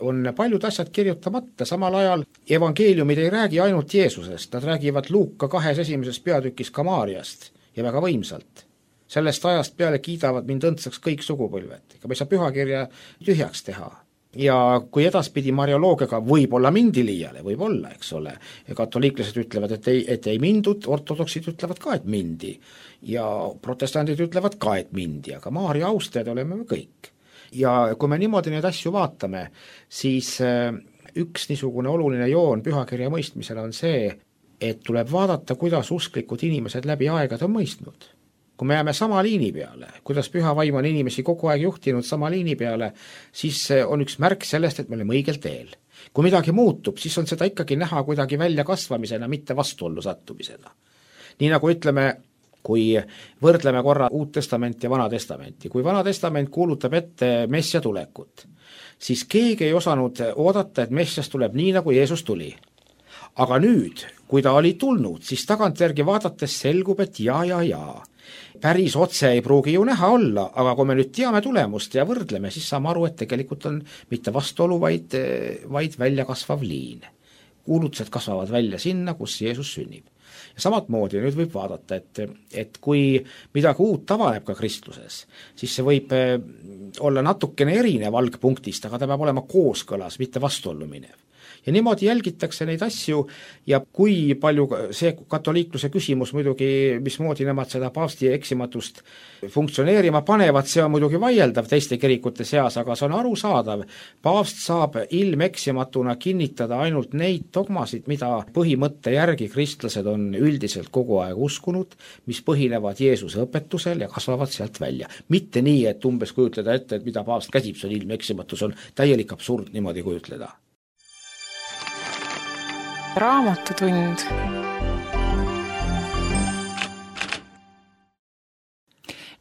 on paljud asjad kirjutamata, samal ajal evangeeliumid ei räägi ainult Jeesusest, nad räägivad Luuka kahes esimeses peatükis ka Maariast ja väga võimsalt. Sellest ajast peale kiidavad mind õndsaks kõik sugupõlved, ega me ei saa pühakirja tühjaks teha. Ja kui edaspidi marioloogiaga võib olla mindi liiale, võib olla, eks ole, katoliiklased ütlevad, et ei, et ei mindud, ortodoksid ütlevad ka, et mindi ja protestandid ütlevad ka, et mindi, aga Maaria austajad oleme me kõik. Ja kui me niimoodi neid asju vaatame, siis üks niisugune oluline joon pühakirja mõistmisel on see, et tuleb vaadata, kuidas usklikud inimesed läbi aegad on mõistnud. Kui me jääme sama liini peale, kuidas püha vaim on inimesi kogu aeg juhtinud sama liini peale, siis on üks märk sellest, et me oleme õigel teel. Kui midagi muutub, siis on seda ikkagi näha kuidagi välja kasvamisena, mitte vastuollu sattumisena. Nii nagu ütleme, kui võrdleme korra Uut Testamenti ja Vana Testamenti, kui Vana Testament kuulutab ette Messia tulekut, siis keegi ei osanud oodata, et Messias tuleb nii, nagu Jeesus tuli. Aga nüüd, kui ta oli tulnud, siis tagantjärgi vaadates selgub, et ja, ja, ja. Päris otse ei pruugi ju näha olla, aga kui me nüüd teame tulemust ja võrdleme, siis saame aru, et tegelikult on mitte vastuolu, vaid, vaid välja kasvav liin. Kuulutused kasvavad välja sinna, kus Jeesus sünnib. Ja samat moodi nüüd võib vaadata, et, et kui midagi uut avaneb ka kristluses, siis see võib olla natukene erinev algpunktist, aga ta peab olema kooskõlas, mitte vastuollu minev. ja niimoodi jälgitakse neid asju ja kui palju see katoliikluse küsimus muidugi, mismoodi nemad seda paavsti eksimatust funktsioneerima panevad, see on muidugi vaieldav teiste kirikute seas, aga see on arusaadav. Paavst saab ilmeksimatuna kinnitada ainult neid dogmasid, mida põhimõtte järgi kristlased on üldiselt kogu aeg uskunud, mis põhinevad Jeesuse õpetusel ja kasvavad sealt välja. Mitte nii, et umbes kujutleda ette, et mida paavst käsib, see on ilmeksimatus, on täielik absurd niimoodi kujutleda. Raamatutund.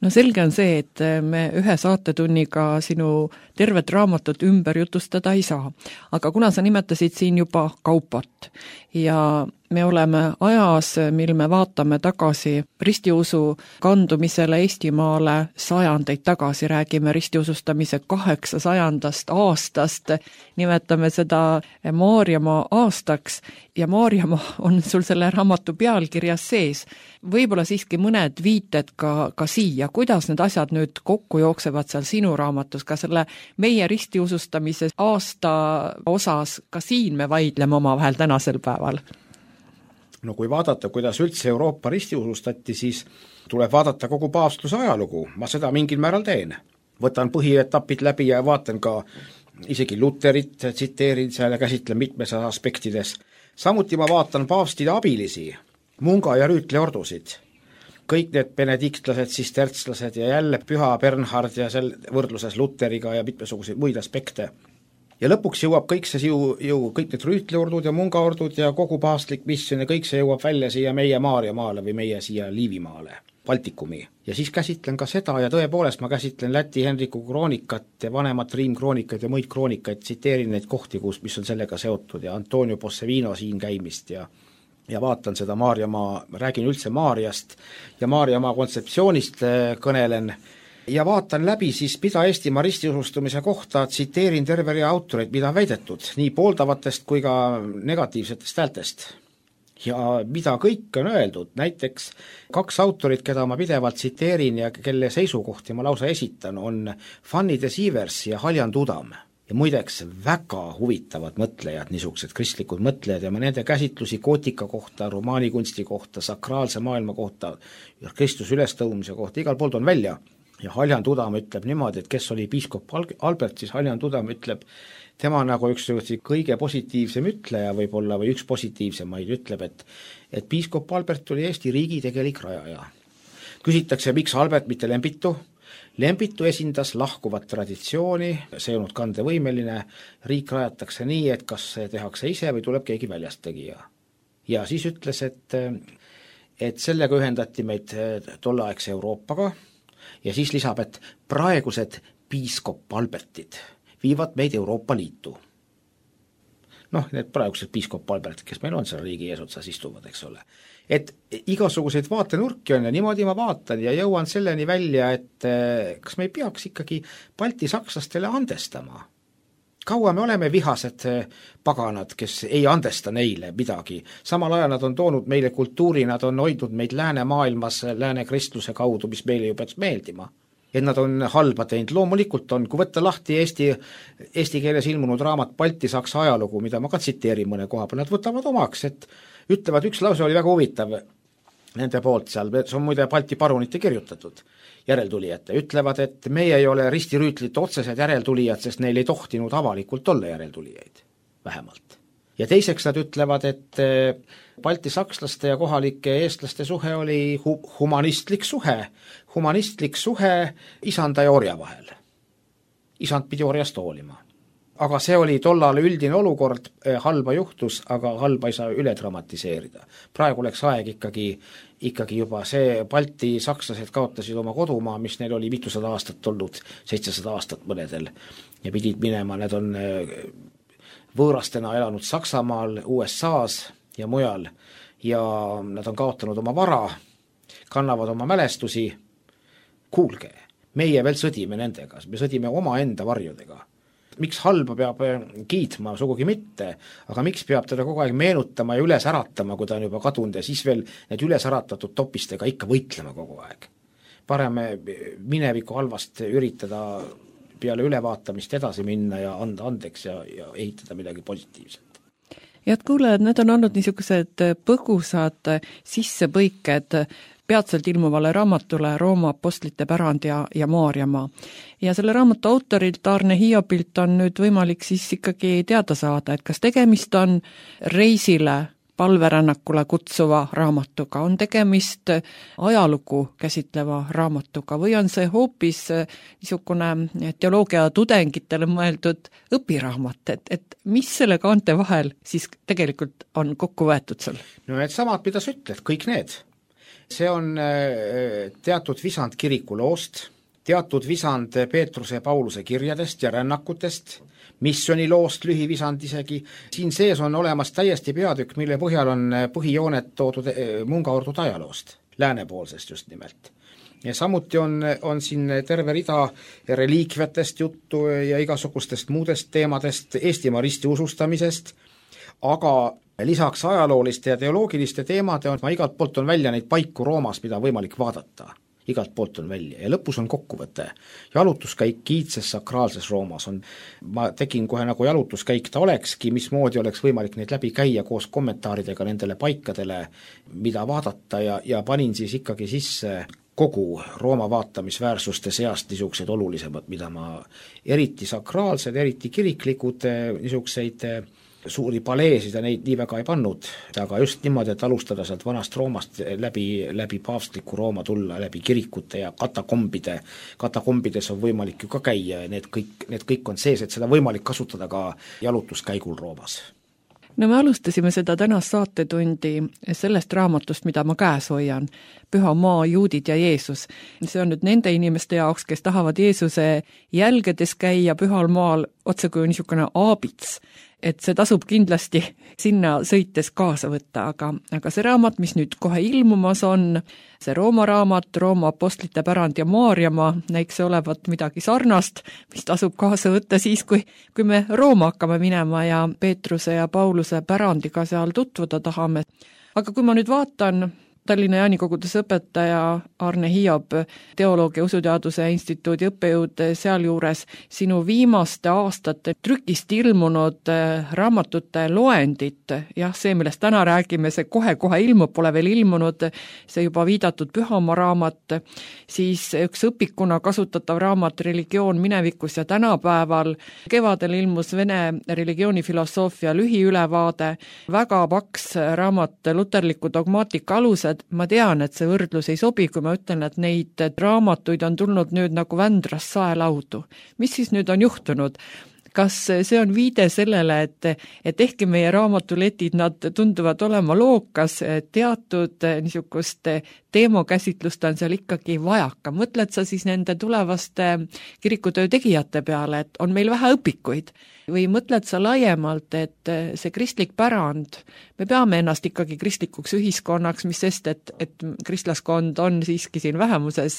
No selge on see, et me ühe saatetunniga sinu tervet raamatut ümber jutustada ei saa. Aga kuna sa nimetasid siin juba kaupat ja me oleme ajas, mil me vaatame tagasi ristiusu kandumisele Eestimaale sajandeid tagasi, räägime ristiusustamise kaheksasajandast aastast, nimetame seda Maarjamaa aastaks ja Maarjamaa on sul selle raamatu pealkirjas sees. Võib-olla siiski mõned viited ka, ka siia, kuidas need asjad nüüd kokku jooksevad seal sinu raamatus, ka selle meie ristiusustamise aasta osas, ka siin me vaidleme omavahel tänasel päeval? No kui vaadata, kuidas üldse Euroopa ristiusustati, siis tuleb vaadata kogu paavstluse ajalugu. Ma seda mingil määral teen. Võtan põhietapid läbi ja vaatan ka isegi Luterit, tsiteerin seal ja käsitlen mitmes aspektides. Samuti ma vaatan paavstide abilisi, munga- ja rüütleordusid. Kõik need benediktlased, sistertslased ja jälle püha Bernhard ja sel võrdluses Luteriga ja mitmesuguseid muid aspekte. Ja lõpuks jõuab kõik see ju, ju kõik need rüütleordud ja mungaordud ja kogu paavstlik missioon ja kõik see jõuab välja siia meie Maarjamaale või meie siia Liivimaale, Baltikumi. Ja siis käsitlen ka seda ja tõepoolest ma käsitlen Läti Henriku kroonikat ja vanemat Riim kroonikaid ja muid kroonikaid, tsiteerin neid kohti, kus, mis on sellega seotud ja Antonio Possevino siin käimist ja ja vaatan seda Maarjamaa, räägin üldse Maarjast ja Maarjamaa kontseptsioonist kõnelen ja vaatan läbi siis, mida Eestimaa ristiusustumise kohta, tsiteerin terve rea autoreid, mida on väidetud, nii pooldavatest kui ka negatiivsetest häältest. Ja mida kõik on öeldud, näiteks kaks autorit, keda ma pidevalt tsiteerin ja kelle seisukohti ma lausa esitan, on Fanny de Sievers ja Haljan Tudam. Ja muideks väga huvitavad mõtlejad, niisugused kristlikud mõtlejad ja ma nende käsitlusi gootika kohta, romaanikunsti kohta, sakraalse maailma kohta, Kristus ülestõumise kohta, igal pool on välja. Ja Haljan Tudam ütleb niimoodi, et kes oli piiskop Albert, siis Haljan Tudam ütleb, tema nagu üks kõige positiivsem ütleja võib-olla või üks positiivsemaid ütleb, et, et piiskop Albert oli Eesti riigi tegelik rajaja. Küsitakse, miks Albert, mitte Lembitu? Lembitu esindas lahkuvat traditsiooni, see on kandevõimeline, riik rajatakse nii, et kas see tehakse ise või tuleb keegi väljast tegija. Ja siis ütles, et, et sellega ühendati meid tolleaegse Euroopaga, ja siis lisab, et praegused piiskop Albertid viivad meid Euroopa Liitu. Noh, need praegused piiskop Albert, kes meil on seal riigi eesotsas istuvad, eks ole. Et igasuguseid vaatenurki on ja niimoodi ma vaatan ja jõuan selleni välja, et kas me ei peaks ikkagi Balti sakslastele andestama. Kaua me oleme vihased paganad, kes ei andesta neile midagi. Samal ajal nad on toonud meile kultuuri, nad on hoidnud meid lääne maailmas, lääne kristluse kaudu, mis meile ju peaks meeldima. Et nad on halba teinud, loomulikult on, kui võtta lahti Eesti, eesti keeles ilmunud raamat Balti-Saksa ajalugu, mida ma ka tsiteerin mõne koha peal, nad võtavad omaks, et ütlevad, üks lause oli väga huvitav nende poolt seal, see on muide Balti parunite kirjutatud järeltulijate, ütlevad, et meie ei ole ristirüütlite otsesed järeltulijad, sest neil ei tohtinud avalikult olla järeltulijaid, vähemalt. Ja teiseks nad ütlevad, et Balti sakslaste ja kohalike eestlaste suhe oli hu- humanistlik suhe, humanistlik suhe isanda ja orja vahel. Isand pidi orjast hoolima. Aga see oli tollal üldine olukord, halba juhtus, aga halba ei saa üle dramatiseerida. Praegu läks aeg ikkagi, ikkagi juba see Balti sakslased kaotasid oma kodumaa, mis neil oli mitusada aastat olnud, seitsesada aastat mõnedel, ja pidid minema, need on võõrastena elanud Saksamaal, U S A-s ja mujal, ja nad on kaotanud oma vara, kannavad oma mälestusi. Kuulge, meie veel sõdime nendega, me sõdime oma enda varjudega. Miks halba peab kiitma, sugugi mitte, aga miks peab teda kogu aeg meenutama ja üles äratama, kui ta on juba kadunud ja siis veel need üles äratatud topistega ikka võitlema kogu aeg. Parem mineviku halvast üritada peale ülevaatamist edasi minna ja anda andeks ja, ja ehitada midagi positiivset. head kuulajad, need on olnud niisugused põgusad sissepõiked peatselt ilmuvale raamatule Rooma apostlite pärand ja, ja Maarjamaa. Ja selle raamatu autorilt Arne Hiobilt on nüüd võimalik siis ikkagi teada saada, et kas tegemist on reisile, palverännakule kutsuva raamatuga, on tegemist ajalugu käsitleva raamatuga või on see hoopis niisugune teoloogia tudengitele mõeldud õpiraamat, et, et mis selle kaante vahel siis tegelikult on kokku võetud seal? No need samad, mida sa ütled, kõik need. See on teatud visand kiriku loost, teatud visand Peetruse ja Pauluse kirjadest ja rännakutest, missiooni loost lühivisand isegi. Siin sees on olemas täiesti peatükk, mille põhjal on põhijooned toodud mungaordud ajaloost, läänepoolsest just nimelt. Ja samuti on, on siin terve rida reliikviatest juttu ja igasugustest muudest teemadest, Eestimaa risti usustamisest, aga lisaks ajalooliste ja teoloogiliste teemade on, ma igalt poolt on välja neid paiku Roomas, mida on võimalik vaadata. Igalt poolt on välja ja lõpus on kokkuvõte. Jalutuskäik kiitses sakraalses Roomas on, ma tegin kohe nagu jalutuskäik ta olekski, mismoodi oleks võimalik neid läbi käia koos kommentaaridega nendele paikadele, mida vaadata ja, ja panin siis ikkagi sisse kogu Rooma vaatamisväärsuste seast niisugused olulisemad, mida ma eriti sakraalsed, eriti kiriklikud niisugused suuri paleesid ja neid nii väga ei pannud, aga just niimoodi, et alustada sealt vanast Roomast läbi, läbi paavstliku Rooma tulla, läbi kirikute ja katakombide, katakombides on võimalik ju ka käia ja need kõik, need kõik on sees, et seda võimalik kasutada ka jalutuskäigul Roomas. No me alustasime seda tänast saatetundi sellest raamatust, mida ma käes hoian, Püha maa, juudid ja Jeesus. See on nüüd nende inimeste jaoks, kes tahavad Jeesuse jälgedes käia pühal maal otse kui niisugune aabits, et see tasub kindlasti sinna sõites kaasa võtta, aga, aga see raamat, mis nüüd kohe ilmumas on, see Rooma raamat, Rooma apostlite pärand ja Maarjamaa, näiks olevat midagi sarnast, mis tasub kaasa võtta siis, kui, kui me Rooma hakkame minema ja Peetruse ja Pauluse pärandiga seal tutvuda tahame. Aga kui ma nüüd vaatan Tallinna Jaanikogudes õpetaja Arne Hiob, teoloogia usuteaduse instituudi õppejõud sealjuures sinu viimaste aastate trükist ilmunud raamatute loendit, jah, see, millest täna räägime, see kohe-kohe ilmub, pole veel ilmunud, see juba viidatud Pühamaa raamat, siis üks õpikuna kasutatav raamat Religioon minevikus ja tänapäeval, kevadel ilmus Vene religioonifilosoofia lühiülevaade, väga paks raamat Luterliku dogmaatika alused. Ma tean, et see võrdlus ei sobi, kui ma ütlen, et neid raamatuid on tulnud nüüd nagu Vändras saelaudu. Mis siis nüüd on juhtunud? Kas see on viide sellele, et, et ehkki meie raamatuletid, nad tunduvad olema lookas, teatud niisugust teemakäsitlust on seal ikkagi vajaka. Mõtled sa siis nende tulevaste kirikutöö tegijate peale, et on meil vähe õpikuid? Või mõtled sa laiemalt, et see kristlik pärand, me peame ennast ikkagi kristlikuks ühiskonnaks, mis sest, et, et kristlaskond on siiski siin vähemuses,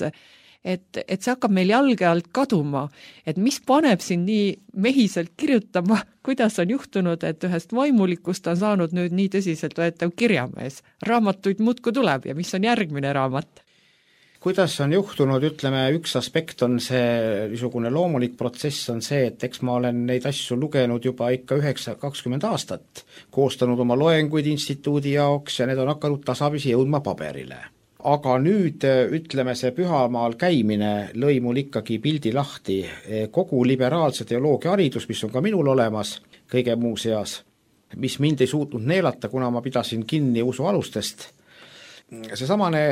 et, et see hakkab meil jalge alt kaduma, et mis paneb siin nii mehiselt kirjutama, kuidas on juhtunud, et ühest vaimulikust on saanud nüüd nii tõsiselt võetav kirjamees. Raamatuid muudkui tuleb ja mis on järgmine raamat? Kuidas on juhtunud, ütleme, üks aspekt on see niisugune loomulik protsess on see, et eks ma olen neid asju lugenud juba ikka üheksa kakskümmend aastat, koostanud oma loenguid instituudi jaoks ja need on hakanud tasapisi jõudma paberile. Aga nüüd, ütleme, see Pühamaal käimine lõi mul ikkagi pildi lahti, kogu liberaalse teoloogia haridus, mis on ka minul olemas, kõige muu seas, mis mind ei suutnud neelata, kuna ma pidasin kinni usu alustest. See samane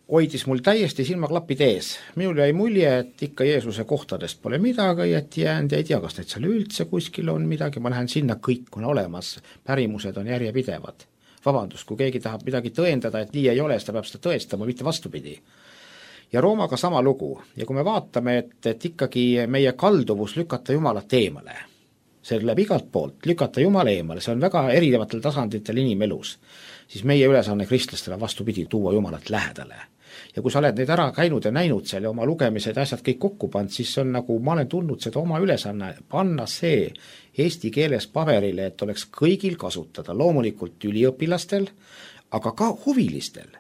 hoidis mul täiesti silmaklapid ees. Minul jäi mulje, et ikka Jeesuse kohtadest pole midagi, et jäänd ja ei tea, kas need seal üldse kuskil on midagi, ma lähen sinna, kõik on olemas, pärimused on järjepidevad. Vabandust, kui keegi tahab midagi tõendada, et nii ei ole, siis ta peab seda tõestama, mitte vastupidi. Ja Roomaga sama lugu. Ja kui me vaatame, et, et ikkagi meie kalduvus lükata Jumalat eemale, see läheb igalt poolt, lükata Jumala eemale, see on väga erinevatel tasanditel inimelus, siis meie ülesanne kristlastele vastupidi tuua Jumalat lähedale. Ja kui sa oled neid ära käinud ja näinud seal ja oma lugemised ja asjad kõik kokku pand, siis on nagu, ma olen tundnud seda oma ülesanne, panna see eesti keeles paberile, et oleks kõigil kasutada, loomulikult üliõpilastel, aga ka huvilistel.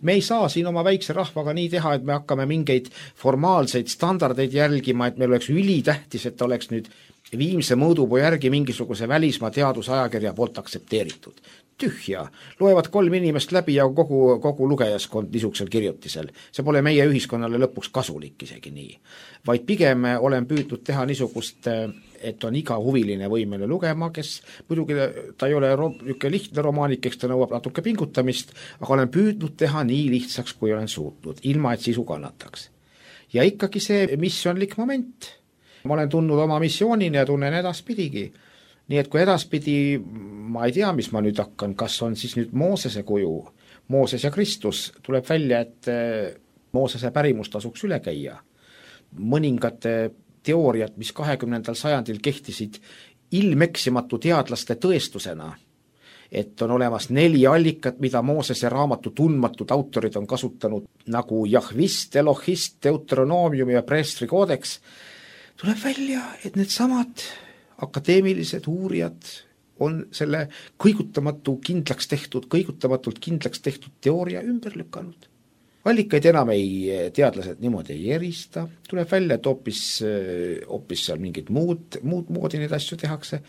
me ei saa siin oma väikse rahvaga nii teha, et me hakkame mingeid formaalseid standardeid jälgima, et meil oleks ülitähtis, et oleks nüüd viimse mõõdupuu järgi mingisuguse välismaa teadusajakirja poolt aktsepteeritud. Tühja, loevad kolm inimest läbi ja kogu, kogu lugejaskond niisugusel kirjutisel. See pole meie ühiskonnale lõpuks kasulik isegi nii. Vaid pigem olen püüdnud teha niisugust, et on iga huviline võimeline lugema, kes muidugi ta ei ole niisugune lihtne romaanik, eks ta nõuab natuke pingutamist, aga olen püüdnud teha nii lihtsaks, kui olen suutnud, ilma et sisu kannataks. Ja ikkagi see missionlik moment. Ma olen tundnud oma missioonini ja tunnen edaspidigi. Nii et kui edaspidi, ma ei tea, mis ma nüüd hakkan, kas on siis nüüd Moosese kuju, Mooses ja Kristus, tuleb välja, et Moosese pärimus tasuks üle käia. Mõningate teooriad, mis kahekümnendal sajandil kehtisid ilmeksimatu teadlaste tõestusena, et on olemas neli allikat, mida Moosese raamatu tundmatud autorid on kasutanud, nagu Jahvist, Elohist, Deuteronomium ja Preestri koodeks, tuleb välja, et need samad akadeemilised uurijad on selle kõigutamatu kindlaks tehtud, kõigutamatult kindlaks tehtud teooria ümber lükanud. Allikaid enam ei, teadlased niimoodi ei erista, tuleb välja, et hoopis, hoopis seal mingid muud, muud moodi neid asju tehakse.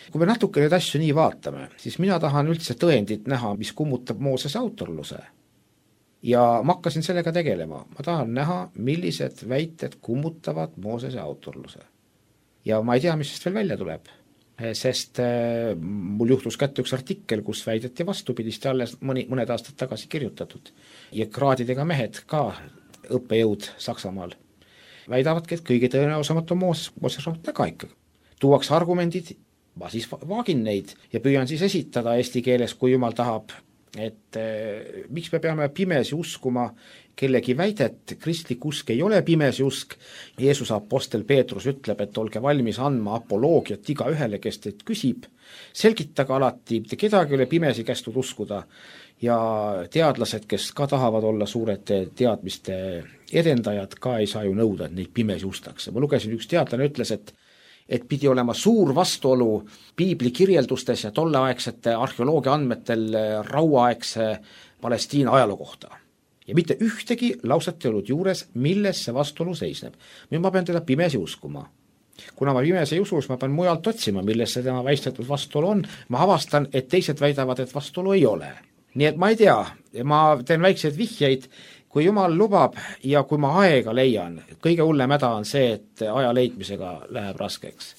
Kui me natuke neid asju nii vaatame, siis mina tahan üldse tõendit näha, mis kummutab Moosese autorluse. Ja ma hakkasin sellega tegelema. Ma tahan näha, millised väited kummutavad Moosese autorluse. Ja ma ei tea, mis sest veel välja tuleb, sest mul juhtus kätte üks artikkel, kus väideti vastupidist ja alles mõni, mõned aastad tagasi kirjutatud. Ja kraadidega mehed ka õppejõud Saksamaal väidavadki, et kõige tõenäosamat on Mooses, Mooses raamat taga ikka. Tuuaks argumendid, ma siis vaagin neid ja püüan siis esitada eesti keeles, kui jumal tahab, et eh, miks me peame pimesi uskuma kellegi väidet, kristlik usk ei ole pimesi usk. Jeesuse apostel Peetrus ütleb, et olge valmis andma apoloogiat iga ühele, kes teid küsib. Selgitage alati, mitte kedagi ole pimesi kästud uskuda. Ja teadlased, kes ka tahavad olla suured teadmiste edendajad, ka ei saa ju nõuda, et neid pimesi ustakse. Ma lugesin, üks teadlane ütles, et et pidi olema suur vastuolu piibli kirjeldustes ja tolleaegsete arheoloogia andmetel rauaaegse Palestiina ajaloo kohta. Ja mitte ühtegi lauset ei olnud juures, milles see vastuolu seisneb. Nüüd ma pean teda pimesi uskuma. Kuna ma pimesi ei usu, siis ma pean mujalt otsima, milles see tema väistetud vastuolu on. Ma avastan, et teised väidavad, et vastuolu ei ole. Nii et ma ei tea, ma teen väikseid vihjeid, kui jumal lubab ja kui ma aega leian, kõige hullem häda on see, et aja leidmisega läheb raskeks.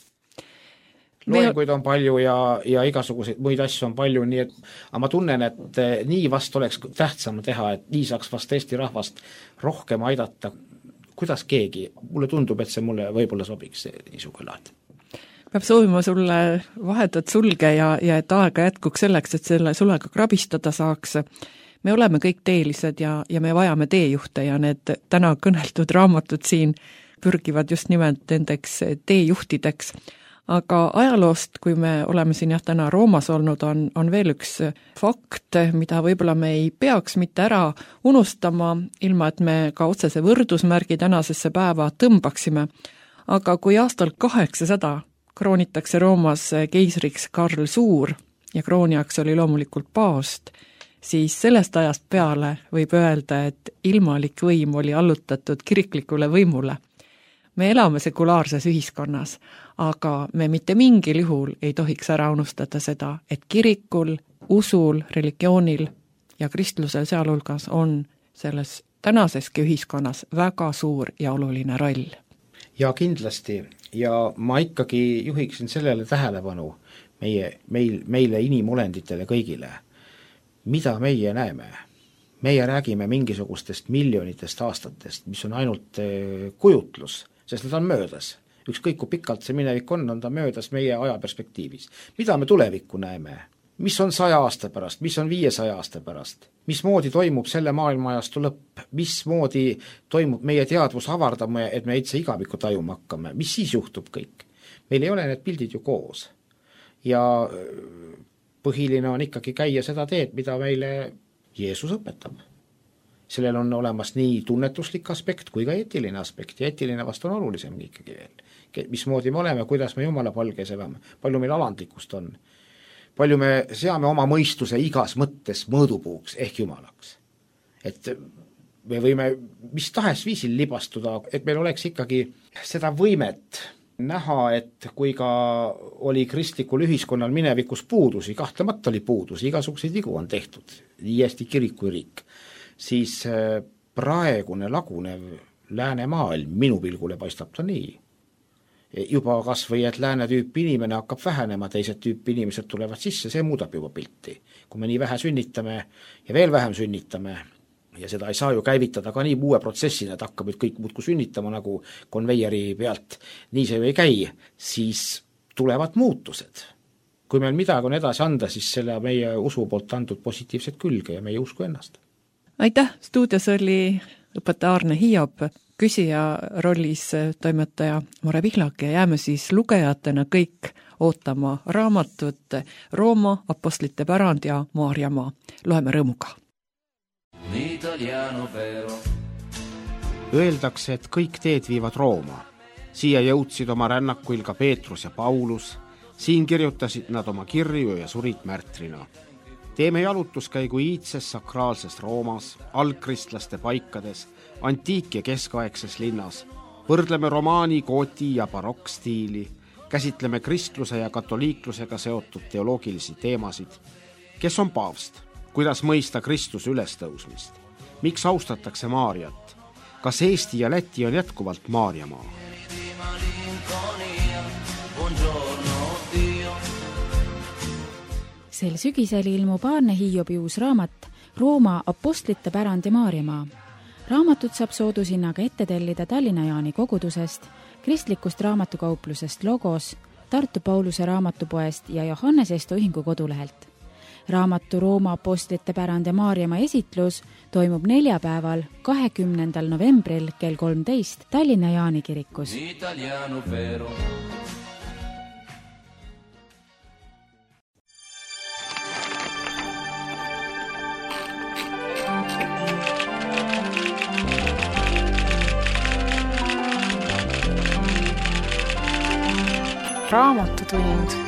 Loenguid on palju ja, ja igasuguseid muid asju on palju, nii et aga ma tunnen, et nii vast oleks tähtsam teha, et nii saaks vast Eesti rahvast rohkem aidata. Kuidas keegi? Mulle tundub, et see mulle võib-olla sobiks niisugune laad. Peab soovima sulle vahetat sulge ja, ja et aega jätkuks selleks, et selle sulega krabistada saaks. Me oleme kõik teelised ja, ja me vajame teejuhte ja need täna kõneldud raamatud siin pürgivad just nimelt nendeks teejuhtideks. Aga ajaloost, kui me oleme siin jah täna Roomas olnud, on, on veel üks fakt, mida võib-olla me ei peaks mitte ära unustama, ilma et me ka otsese võrdusmärgi tänasesse päeva tõmbaksime. Aga kui aastal kaheksasada kroonitakse Roomas keisriks Karl Suur ja krooniaks oli loomulikult paavst, siis sellest ajast peale võib öelda, et ilmalik võim oli allutatud kiriklikule võimule. Me elame sekulaarses ühiskonnas, aga me mitte mingil juhul ei tohiks ära unustada seda, et kirikul, usul, religioonil ja kristlusel sealhulgas on selles tänaseski ühiskonnas väga suur ja oluline roll. Ja kindlasti, ja ma ikkagi juhiksin sellele tähelepanu meie, meil, meile inimolenditele kõigile. Mida meie näeme? Meie räägime mingisugustest miljonitest aastatest, mis on ainult kujutlus, sest need on möödas. Ükskõik kui pikalt see minevik on, on ta möödas meie ajaperspektiivis. Mida me tulevikku näeme? Mis on saja aasta pärast? Mis on viiesaja aasta pärast? Mismoodi toimub selle maailmaajastu lõpp? Mismoodi toimub meie teadvus avardama, et me itse igaviku tajuma hakkame? Mis siis juhtub kõik? Meil ei ole need pildid ju koos. Ja põhiline on ikkagi käia seda teed, mida meile Jeesus õpetab. Sellel on olemas nii tunnetuslik aspekt kui ka eetiline aspekt ja eetiline vast on olulisem ikkagi veel. Mismoodi me oleme, kuidas me Jumala palges elame, palju meil alandlikust on. Palju me seame oma mõistuse igas mõttes mõõdupuuks ehk Jumalaks. et me võime mis tahes viisil libastuda, et meil oleks ikkagi seda võimet näha, et kui ka oli kristlikul ühiskonnal minevikus puudusi, kahtlemata oli puudusi, igasuguseid vigu on tehtud, nii Eesti kirik kui riik, siis praegune lagunev läänemaailm minu pilgule paistab ta nii. Juba kas või, et lääne tüüpi inimene hakkab vähenema, teised tüüpi inimesed tulevad sisse, see muudab juba pilti. Kui me nii vähe sünnitame ja veel vähem sünnitame, ja seda ei saa ju käivitada ka nii uue protsessina, et hakkab nüüd kõik muudku sünnitama nagu konveieri pealt, nii see ju ei käi, siis tulevad muutused. Kui meil midagi on edasi anda, siis selle meie usu poolt antud positiivset külge ja meie usku ennast. Aitäh, stuudios oli õpetaja Arne Hiob, küsija rollis toimetaja Mare Pihlak ja jääme siis lugejatena kõik ootama raamatut Rooma, apostlite pärand ja Maarjamaa. Loeme rõõmuga. Öeldakse, et kõik teed viivad Rooma. Siia jõudsid oma rännakuil ka Peetrus ja Paulus, siin kirjutasid nad oma kirju ja surid märtrina. Teeme jalutuskäigu iidses sakraalses Roomas, algkristlaste paikades, antiik- ja keskaegses linnas. Võrdleme romaani, gooti ja barokkstiili, käsitleme kristluse ja katoliiklusega seotud teoloogilisi teemasid. Kes on paavst? Kuidas mõista Kristuse ülestõusmist? Miks austatakse Maarjat? Kas Eesti ja Läti on jätkuvalt Maarjamaa? Sel sügisel ilmub Arne Hiobi uus raamat Rooma, apostlite pärand ja Maarjamaa. Raamatut saab soodushinnaga ette tellida Tallinna Jaani kogudusest, kristlikust raamatukauplusest Logos, Tartu Pauluse raamatupoest ja Johannes Esto ühingu kodulehelt. Raamatu Rooma, apostlite pärand ja Maarjamaa esitlus toimub neljapäeval, kahekümnendal novembril kell kolmteist Tallinna Jaani kirikus. Raamatutund.